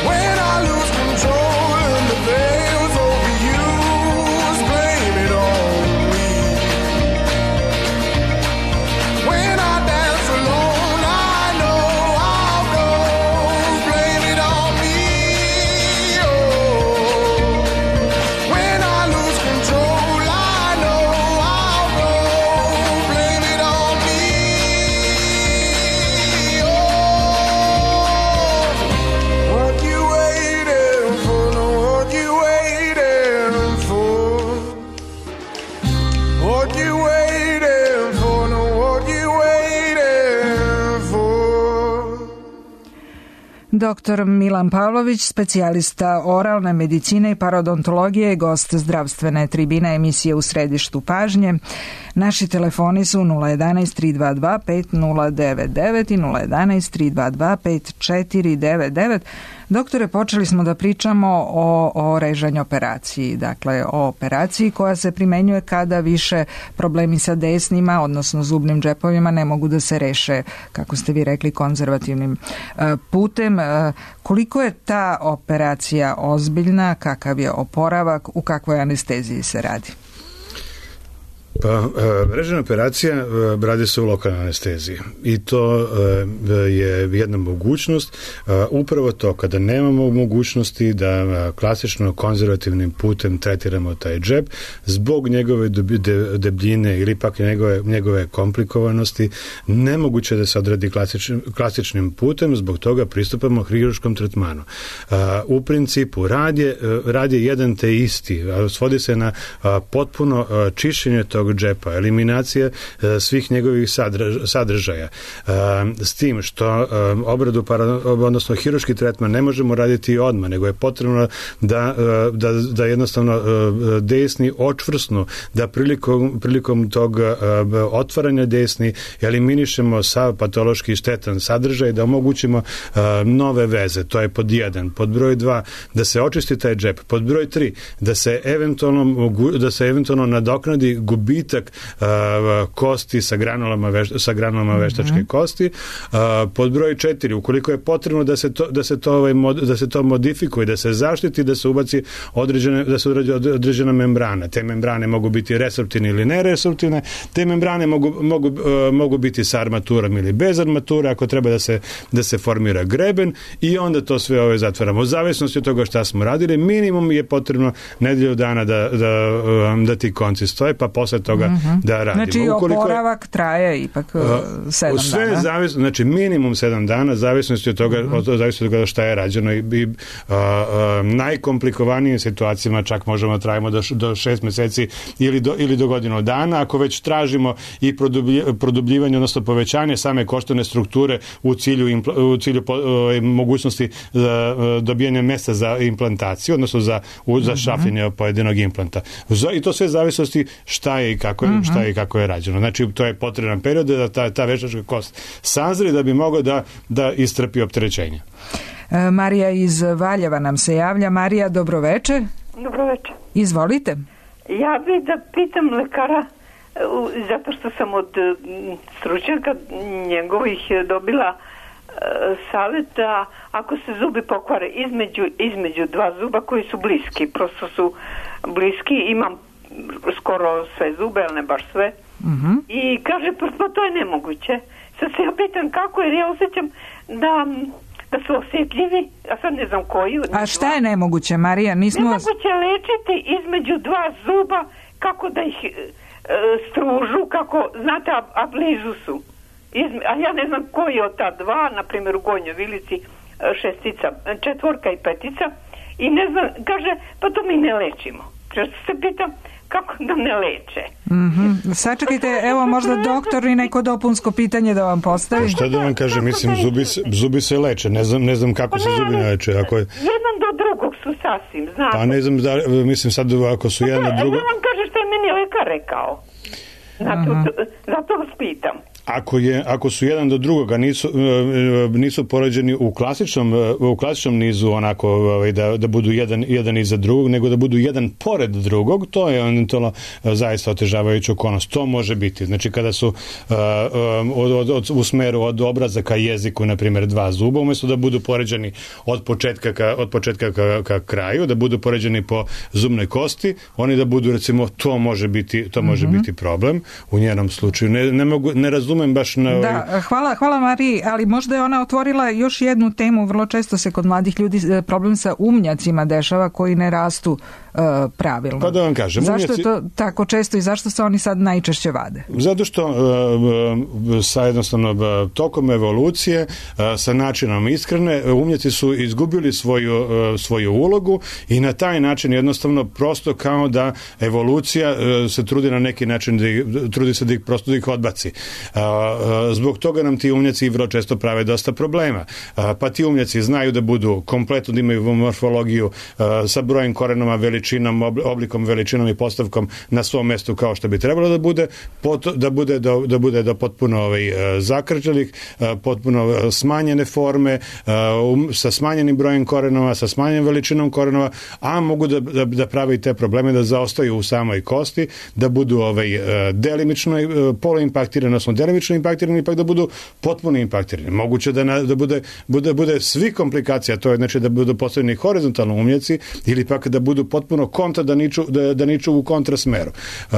[SPEAKER 17] When I lose control and the veil's overused, blame it on me. When I dance alone, I know I'll go, blame it on me. Oh, when I lose control, I know I'll go, blame it on me. Oh, what you waiting for? No, what you waiting for? What you waiting for? No, what you waiting for?
[SPEAKER 4] Doktor Milan Pavlović, specijalista oralne medicine i parodontologije, gost zdravstvene tribine emisije U središtu pažnje. Naši telefoni su nula jedanaest tri dva dva pet nula devet devet i nula jedanaest tri dva dva pet četiri devet devet. Doktore, počeli smo da pričamo o, o režanju operaciji, dakle o operaciji koja se primenjuje kada više problemi sa desnima, odnosno zubnim džepovima, ne mogu da se reše, kako ste vi rekli, konzervativnim putem. Koliko je ta operacija ozbiljna, kakav je oporavak, u kakvoj anesteziji se radi?
[SPEAKER 5] Pa, režena operacija radi se u lokalnoj anesteziji i to je jedna mogućnost, upravo to kada nemamo mogućnosti da klasično konzervativnim putem tretiramo taj džep zbog njegove debljine ili pak njegove, njegove komplikovanosti, nemoguće da se odradi klasičnim, klasičnim putem, zbog toga pristupamo hirurškom tretmanu. U principu rad je, rad je jedan te isti, svodi se na potpuno čišćenje tog džepa, eliminacija svih njegovih sadržaja. S tim što obradu, odnosno hirurški tretman ne možemo raditi odmah, nego je potrebno da, da, da jednostavno desni očvrsnu, da prilikom, prilikom tog otvaranja desni eliminišemo sav patološki štetan sadržaj, da omogućimo nove veze. To je pod jedan. Pod broj dva, da se očisti taj džep. Pod broj tri, da se eventualno, da se eventualno nadoknadi gubitak uh, kosti sa granulama, veš, sa granulama veštačke mm-hmm. kosti. Uh, pod broj četiri, ukoliko je potrebno da se to, da se to, ovaj, mod, da se to modifikuje, da se zaštiti, da se ubaci određene, da se određena membrana. Te membrane mogu biti resorptivne ili neresorptivne. Te membrane mogu, mogu, uh, mogu biti sa armaturom ili bez armatura, ako treba da se, da se formira greben i onda to sve ove zatvaramo. U zavisnosti od toga šta smo radili, minimum je potrebno nedelju dana da, da, da ti konci stoje, pa posle toga mm-hmm. da radimo.
[SPEAKER 4] Znači ukoliko oporavak je, traje ipak uh, sedam sve dana. Zavis,
[SPEAKER 5] znači minimum sedam dana, zavisnosti od toga, mm-hmm. od, zavisnosti od toga šta je rađeno i, i uh, uh, najkomplikovanijim situacijama čak možemo trajimo do, do šest meseci ili do, ili do godinu dana. Ako već tražimo i produblj, produbljivanje, odnosno povećanje same koštane strukture u cilju, impl, u cilju po, uh, mogućnosti za uh, dobijanje mesta za implantaciju, odnosno za, u, za šapljenje mm-hmm. pojedinog implanta. I to sve zavisnosti šta je i kako je, mm-hmm. šta je i kako je rađeno. Znači, to je potreban period da ta, ta veštačka kost sazri da bi mogao da, da istrpi opterećenje.
[SPEAKER 4] E, Marija iz Valjeva nam se javlja. Marija, dobroveče.
[SPEAKER 18] Dobroveče.
[SPEAKER 4] Izvolite.
[SPEAKER 18] Ja bih da pitam lekara, zato što sam od stručnjaka njegovih dobila savjeta, ako se zubi pokvare između, između dva zuba koji su bliski, prosto su bliski, imam skoro sve zube, ali ne baš sve. Mm-hmm. I kaže, pa to je nemoguće. Sad se ja pitam kako, jer ja osjećam da, da su osjetljivi, a sad ne znam koji.
[SPEAKER 4] A šta je nemoguće, Marija? Nismo...
[SPEAKER 18] Nemoguće lečiti između dva zuba, kako da ih e, stružu, kako, znate, a, a blizu su. Izme, a ja ne znam koji od ta dva, na primjer u Gornjoj Vilici šestica, četvorka i petica, i ne znam, kaže, pa to mi ne lečimo. Često se pitam, kako da ne leče?
[SPEAKER 4] Mm-hmm. Sačekajte, evo možda doktor i neko dopunsko pitanje da vam postavi.
[SPEAKER 5] Šta da vam kaže, mislim, zubi se, zubi se leče, ne znam, ne znam kako se zubi ne leče. Ako je...
[SPEAKER 18] Jedan do drugog su sasvim, znate.
[SPEAKER 5] Pa ne znam, da, mislim sad ako su jedan do drugog...
[SPEAKER 18] Ja vam kaže što je meni lekar rekao. Zato, zato vas pitam.
[SPEAKER 5] Ako, je, ako su jedan do drugoga nisu, nisu poređeni u klasičnom, u klasičnom nizu onako da, da budu jedan, jedan iza drugog, nego da budu jedan pored drugog, to je eventualno zaista otežavajuća okolnost. To može biti. Znači kada su od, od, od, u smeru od obraza ka jeziku, na primjer, dva zuba, umjesto da budu poređeni od početka ka, od početka ka, ka kraju, da budu poređeni po zubnoj kosti, oni da budu, recimo, to može biti, to može mm-hmm. biti problem u njenom slučaju. Ne, ne, mogu, ne razumem baš na...
[SPEAKER 4] Da, hvala, hvala Mariji, ali možda je ona otvorila još jednu temu. Vrlo često se kod mladih ljudi problem sa umnjacima dešava koji ne rastu uh, pravilno.
[SPEAKER 5] Pa da vam kažem,
[SPEAKER 4] zašto
[SPEAKER 5] umnjaci...
[SPEAKER 4] je to tako često i zašto se oni sad najčešće vade?
[SPEAKER 5] Zato što uh, sa jednostavno uh, tokom evolucije, uh, sa načinom ishrane, umnjaci su izgubili svoju, uh, svoju ulogu i na taj način jednostavno prosto kao da evolucija uh, se trudi na neki način da ih, trudi se da ih prosto da ih odbaci. Uh, zbog toga nam ti umnjaci vrlo često prave dosta problema. Pa ti umnjaci znaju da budu kompletno, da imaju morfologiju sa brojem korenoma, veličinom, oblikom, veličinom i postavkom na svom mestu kao što bi trebalo da bude, da bude do, da bude do potpuno ovaj, zakrčelih, potpuno smanjene forme, sa smanjenim brojem korenova, sa smanjenom veličinom korenova, a mogu da, da, da prave i te probleme da zaostaju u samoj kosti, da budu ovaj, delimično poloimpaktirane, odnosno delimično delimično impaktirani, ipak da budu potpuno impaktirani. Moguće da, na, da bude, bude, bude svi komplikacija, to je znači da budu postavljeni horizontalno umnjaci ili pak da budu potpuno kontra, da niču, da, da niču u kontrasmeru. Uh,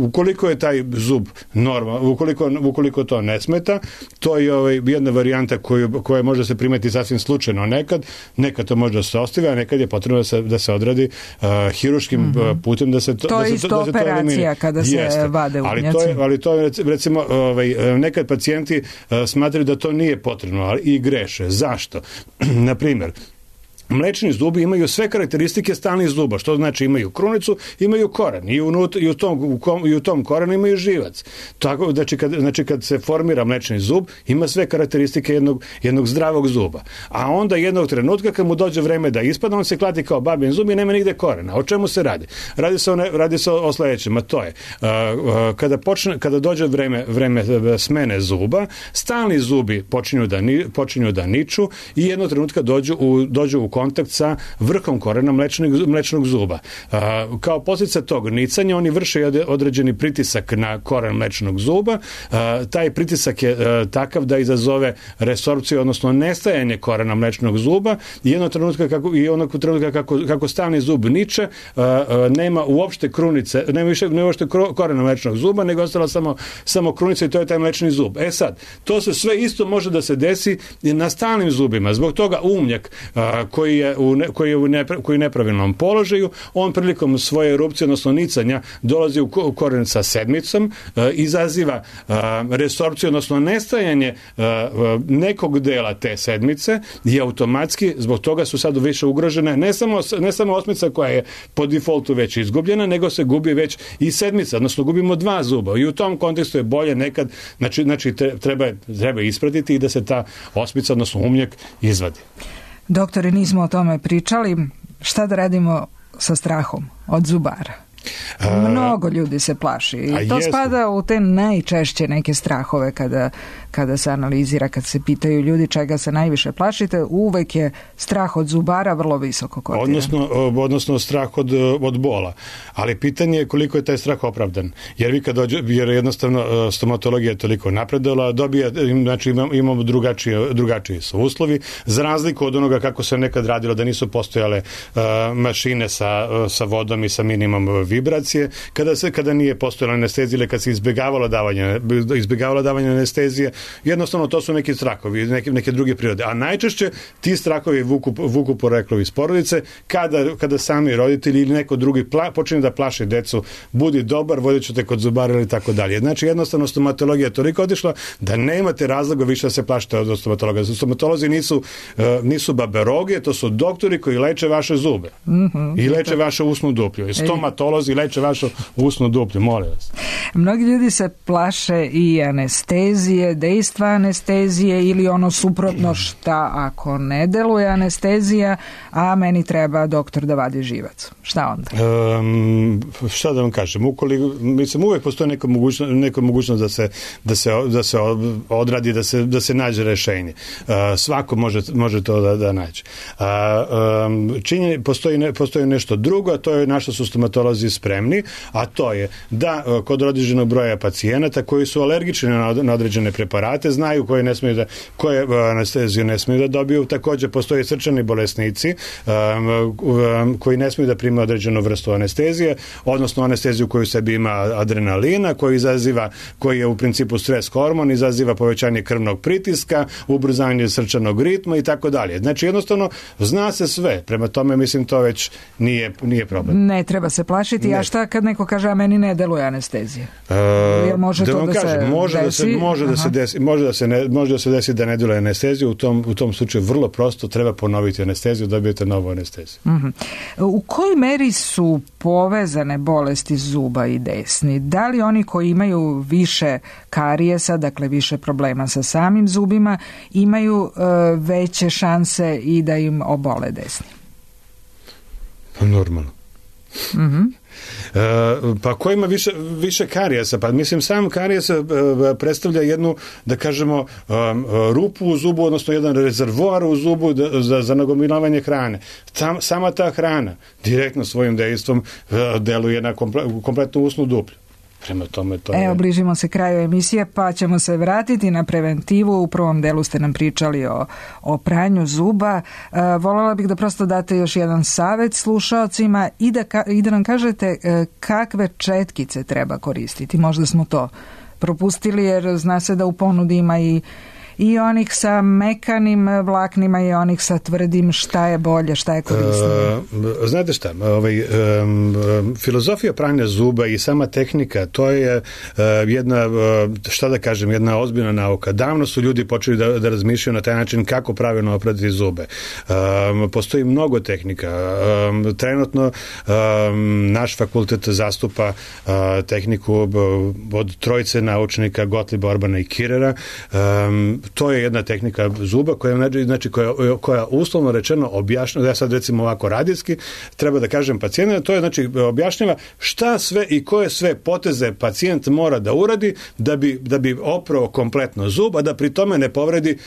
[SPEAKER 5] ukoliko je taj zub normal, ukoliko, ukoliko to ne smeta, to je ovaj, jedna varijanta koju, koja može se primeti sasvim slučajno nekad, nekad to može da se ostavi, a nekad je potrebno da se, da se odradi uh, hiruškim mm-hmm. putem da se to,
[SPEAKER 4] to
[SPEAKER 5] da se,
[SPEAKER 4] je isto da se operacija to kada se
[SPEAKER 5] Jeste.
[SPEAKER 4] vade umnjaci.
[SPEAKER 5] Ali to je, ali to je recimo ovaj, nekad pacijenti uh, smatraju da to nije potrebno, ali i greše. Zašto? Na primjer, mlečni zubi imaju sve karakteristike stalnih zuba, što znači imaju krunicu, imaju koren i, unut, i, u, tom, u, kom, i u tom korenu imaju živac. Tako, znači, kad, znači kad se formira mlečni zub, ima sve karakteristike jednog, jednog zdravog zuba. A onda jednog trenutka kad mu dođe vreme da ispada, on se klati kao babin zub i nema nigde korena. O čemu se radi? Radi se o, ne, radi se o, o sledećem, a to je uh, uh, kada, počne, kada dođe vreme, vreme smene zuba, stalni zubi počinju da, ni, počinju da niču i jednog trenutka dođu u, dođu u kontakt sa vrhom korena mlečnog, mlečnog zuba. A, kao posljedica tog nicanja oni vrše određeni pritisak na koren mlečnog zuba. A, taj pritisak je a, takav da izazove resorpciju, odnosno nestajanje korena mlečnog zuba i jednog trenutka kako, i onog trenutka kako, kako stalni zub niče, a, a, nema uopšte krunice, nema više nema uopšte korena mlečnog zuba, nego ostala samo, samo krunica i to je taj mlečni zub. E sad, to se sve isto može da se desi na stalnim zubima. Zbog toga umnjak a, koji je u, ne, koji je u, nepra, koji je nepravilnom položaju, on prilikom svoje erupcije, odnosno nicanja, dolazi u koren sa sedmicom, e, izaziva e, resorpciju, odnosno nestajanje e, nekog dela te sedmice i automatski zbog toga su sad više ugrožene ne samo, ne samo osmica koja je po defaultu već izgubljena, nego se gubi već i sedmica, odnosno gubimo dva zuba i u tom kontekstu je bolje nekad, znači, znači treba, treba ispratiti i da se ta osmica, odnosno umnjak izvadi.
[SPEAKER 4] Doktore, nismo o tome pričali. Šta da radimo sa strahom od zubara? A, Mnogo ljudi se plaši i to jesu. Spada u te najčešće neke strahove kada, kada se analizira, kad se pitaju ljudi čega se najviše plašite, uvek je strah od zubara vrlo visoko kotiran.
[SPEAKER 5] Odnosno, odnosno strah od, od bola. Ali pitanje je koliko je taj strah opravdan. Jer vi kad dođe, jer jednostavno stomatologija je toliko napredovala, dobija, znači imamo, imamo drugačije, drugačiji su uslovi, za razliku od onoga kako se nekad radilo, da nisu postojale uh, mašine sa, uh, sa vodom i sa minimum vibracije, kada se kada nije postojala anestezija ili kad se izbjegavalo davanje izbjegavalo davanje anestezije, jednostavno to su neki strahovi, neke neke druge prirode. A najčešće ti strahovi vuku vuku poreklo iz porodice, kada kada sami roditelji ili neko drugi pla, počne da plaši decu, budi dobar, vodit te kod zubara ili tako dalje. Znači jednostavno stomatologija je toliko otišla da nemate razloga više da se plašite od stomatologa. Stomatolozi nisu uh, nisu baberoge, to su doktori koji leče vaše zube. Mm-hmm. I leče vašu usnu duplju. I stomatolozi leče vašu usnu duplju, molim vas.
[SPEAKER 4] Mnogi ljudi se plaše i anestezije, dejstva anestezije ili ono suprotno, šta ako ne deluje anestezija, a meni treba doktor da vadi živac. Šta onda?
[SPEAKER 5] Um, šta da vam kažem? Ukoliko, mislim, uvek postoji neka mogućnost, neka mogućnost da se, da se, da se odradi, da se, da se nađe rešenje. Uh, svako može, može to da, da nađe. Uh, um, činje, postoji, ne, postoji nešto drugo, a to je na što su stomatolozi spremni, a to je da uh, kod određenog broja pacijenata koji su alergični na, na određene preparate, znaju koje ne smiju da, koje uh, anesteziju ne smiju da dobiju. Takođe postoje srčani bolesnici um, um, koji ne smiju da prime određenu vrstu anestezije, odnosno anesteziju koju u sebi ima adrenalina, koji izaziva, koji je u principu stres hormon, izaziva povećanje krvnog pritiska, ubrzanje srčanog ritma i tako dalje. Znači jednostavno zna se sve. Prema tome mislim to već nije, nije problem.
[SPEAKER 4] Ne treba se plašiti. Ne. A šta kad neko kaže a meni ne deluje anestezija?
[SPEAKER 5] Uh,
[SPEAKER 4] Jer može
[SPEAKER 5] da
[SPEAKER 4] to da
[SPEAKER 5] kažem,
[SPEAKER 4] se
[SPEAKER 5] može
[SPEAKER 4] desi?
[SPEAKER 5] Da se, može da se desi, može da se ne, može da se desi da ne deluje anesteziju. U tom, u tom slučaju vrlo prosto treba ponoviti anesteziju, dobijete novu anesteziju.
[SPEAKER 4] Uh-huh. U kojoj meri su povezane bolesti zuba i desni? Da li oni koji imaju više karijesa, dakle više problema sa samim zubima, imaju uh, veće šanse i da im obole desni?
[SPEAKER 5] Pa normalno.
[SPEAKER 4] Mhm.
[SPEAKER 5] Uh, pa ko ima više, više karijesa? Pa mislim sam karijes uh, predstavlja jednu, da kažemo, um, rupu u zubu, odnosno jedan rezervoar u zubu da, za, za nagomilavanje hrane. Tam, sama ta hrana direktno svojim dejstvom uh, deluje na komple, kompletnu usnu duplju. Prema tome to
[SPEAKER 4] Evo,
[SPEAKER 5] je...
[SPEAKER 4] bližimo se kraju emisije, pa ćemo se vratiti na preventivu. U prvom delu ste nam pričali o, o pranju zuba. E, voljela bih da prosto date još jedan savjet slušaocima i da, ka, i da nam kažete e, kakve četkice treba koristiti. Možda smo to propustili, jer zna se da u ponudi ima i i onih sa mekanim vlaknima i onih sa tvrdim. Šta je bolje, šta je korisnije?
[SPEAKER 5] Uh, znate šta, ovaj, um, filozofija pranja zuba i sama tehnika, to je uh, jedna, uh, šta da kažem, jedna ozbiljna nauka. Davno su ljudi počeli da, da razmišljaju na taj način kako pravilno oprati zube. Um, postoji mnogo tehnika. Um, trenutno um, naš fakultet zastupa uh, tehniku od trojice naučnika Gottlieba, Orbana i Kirera. Um, To je jedna tehnika zuba koja, znači, koja, koja uslovno rečeno objašnjava, ja sad recimo ovako radijski, treba da kažem pacijentu, to je znači objašnjava šta sve i koje sve poteze pacijent mora da uradi da bi, da bi oprao kompletno zub, a da pri tome ne povredi,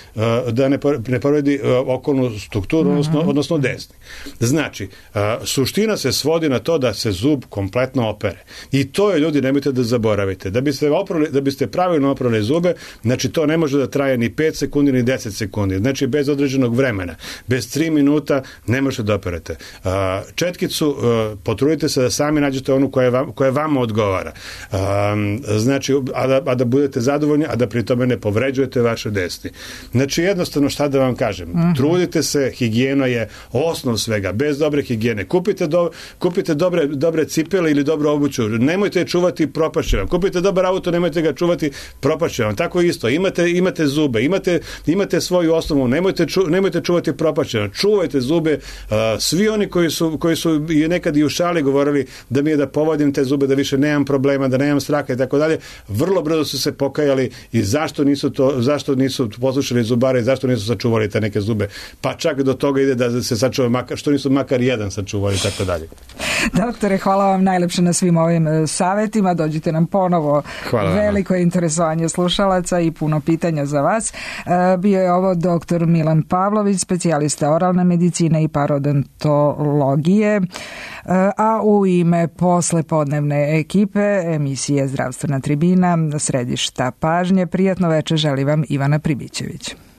[SPEAKER 5] da ne, ne povredi okolnu strukturu, mm-hmm. odnosno, odnosno desni. Znači, suština se svodi na to da se zub kompletno opere. I to je, ljudi, nemojte da zaboravite. Da biste, oprali, da biste pravilno oprali zube, znači to ne može da traje ni pet sekundi ni deset sekundi. Znači bez određenog vremena. Bez tri minuta ne možete da operate. Četkicu potrudite se da sami nađete onu koja vam, koja vama odgovara. Znači, a da, a da budete zadovoljni, a da pri tome ne povređujete vaše desni. Znači, jednostavno šta da vam kažem. Mm-hmm. Trudite se, higijena je osnov svega. Bez dobre higijene. Kupite, do, kupite dobre, dobre cipele ili dobru obuću. Nemojte je čuvati, propašće vam. Kupite dobar auto, nemojte ga čuvati, propašće vam. Tako isto. Imate, imate zube, imate, imate svoju osnovu, nemojte, ču, nemojte čuvati propašće. Čuvajte zube. Uh, svi oni koji su, koji su i nekad i u šali govorili da mi je da povodim te zube, da više nemam problema, da nemam straha i tako dalje, vrlo brzo su se pokajali i zašto nisu to, zašto nisu poslušali zubare i zašto nisu sačuvali te neke zube. Pa čak do toga ide da se sačuva makar, što nisu makar jedan sačuvali i tako dalje.
[SPEAKER 4] Doktore, hvala vam najlepše na svim ovim savjetima. Dođite nam ponovo. Hvala. Veliko je interesovanje slušalaca i puno pitanja za vas. Bio je ovo doktor Milan Pavlović, specijalista oralne medicine i parodontologije, a u ime poslepodnevne ekipe emisije Zdravstvena tribina, središta pažnje, prijatno večer želi vam Ivana Pribićević.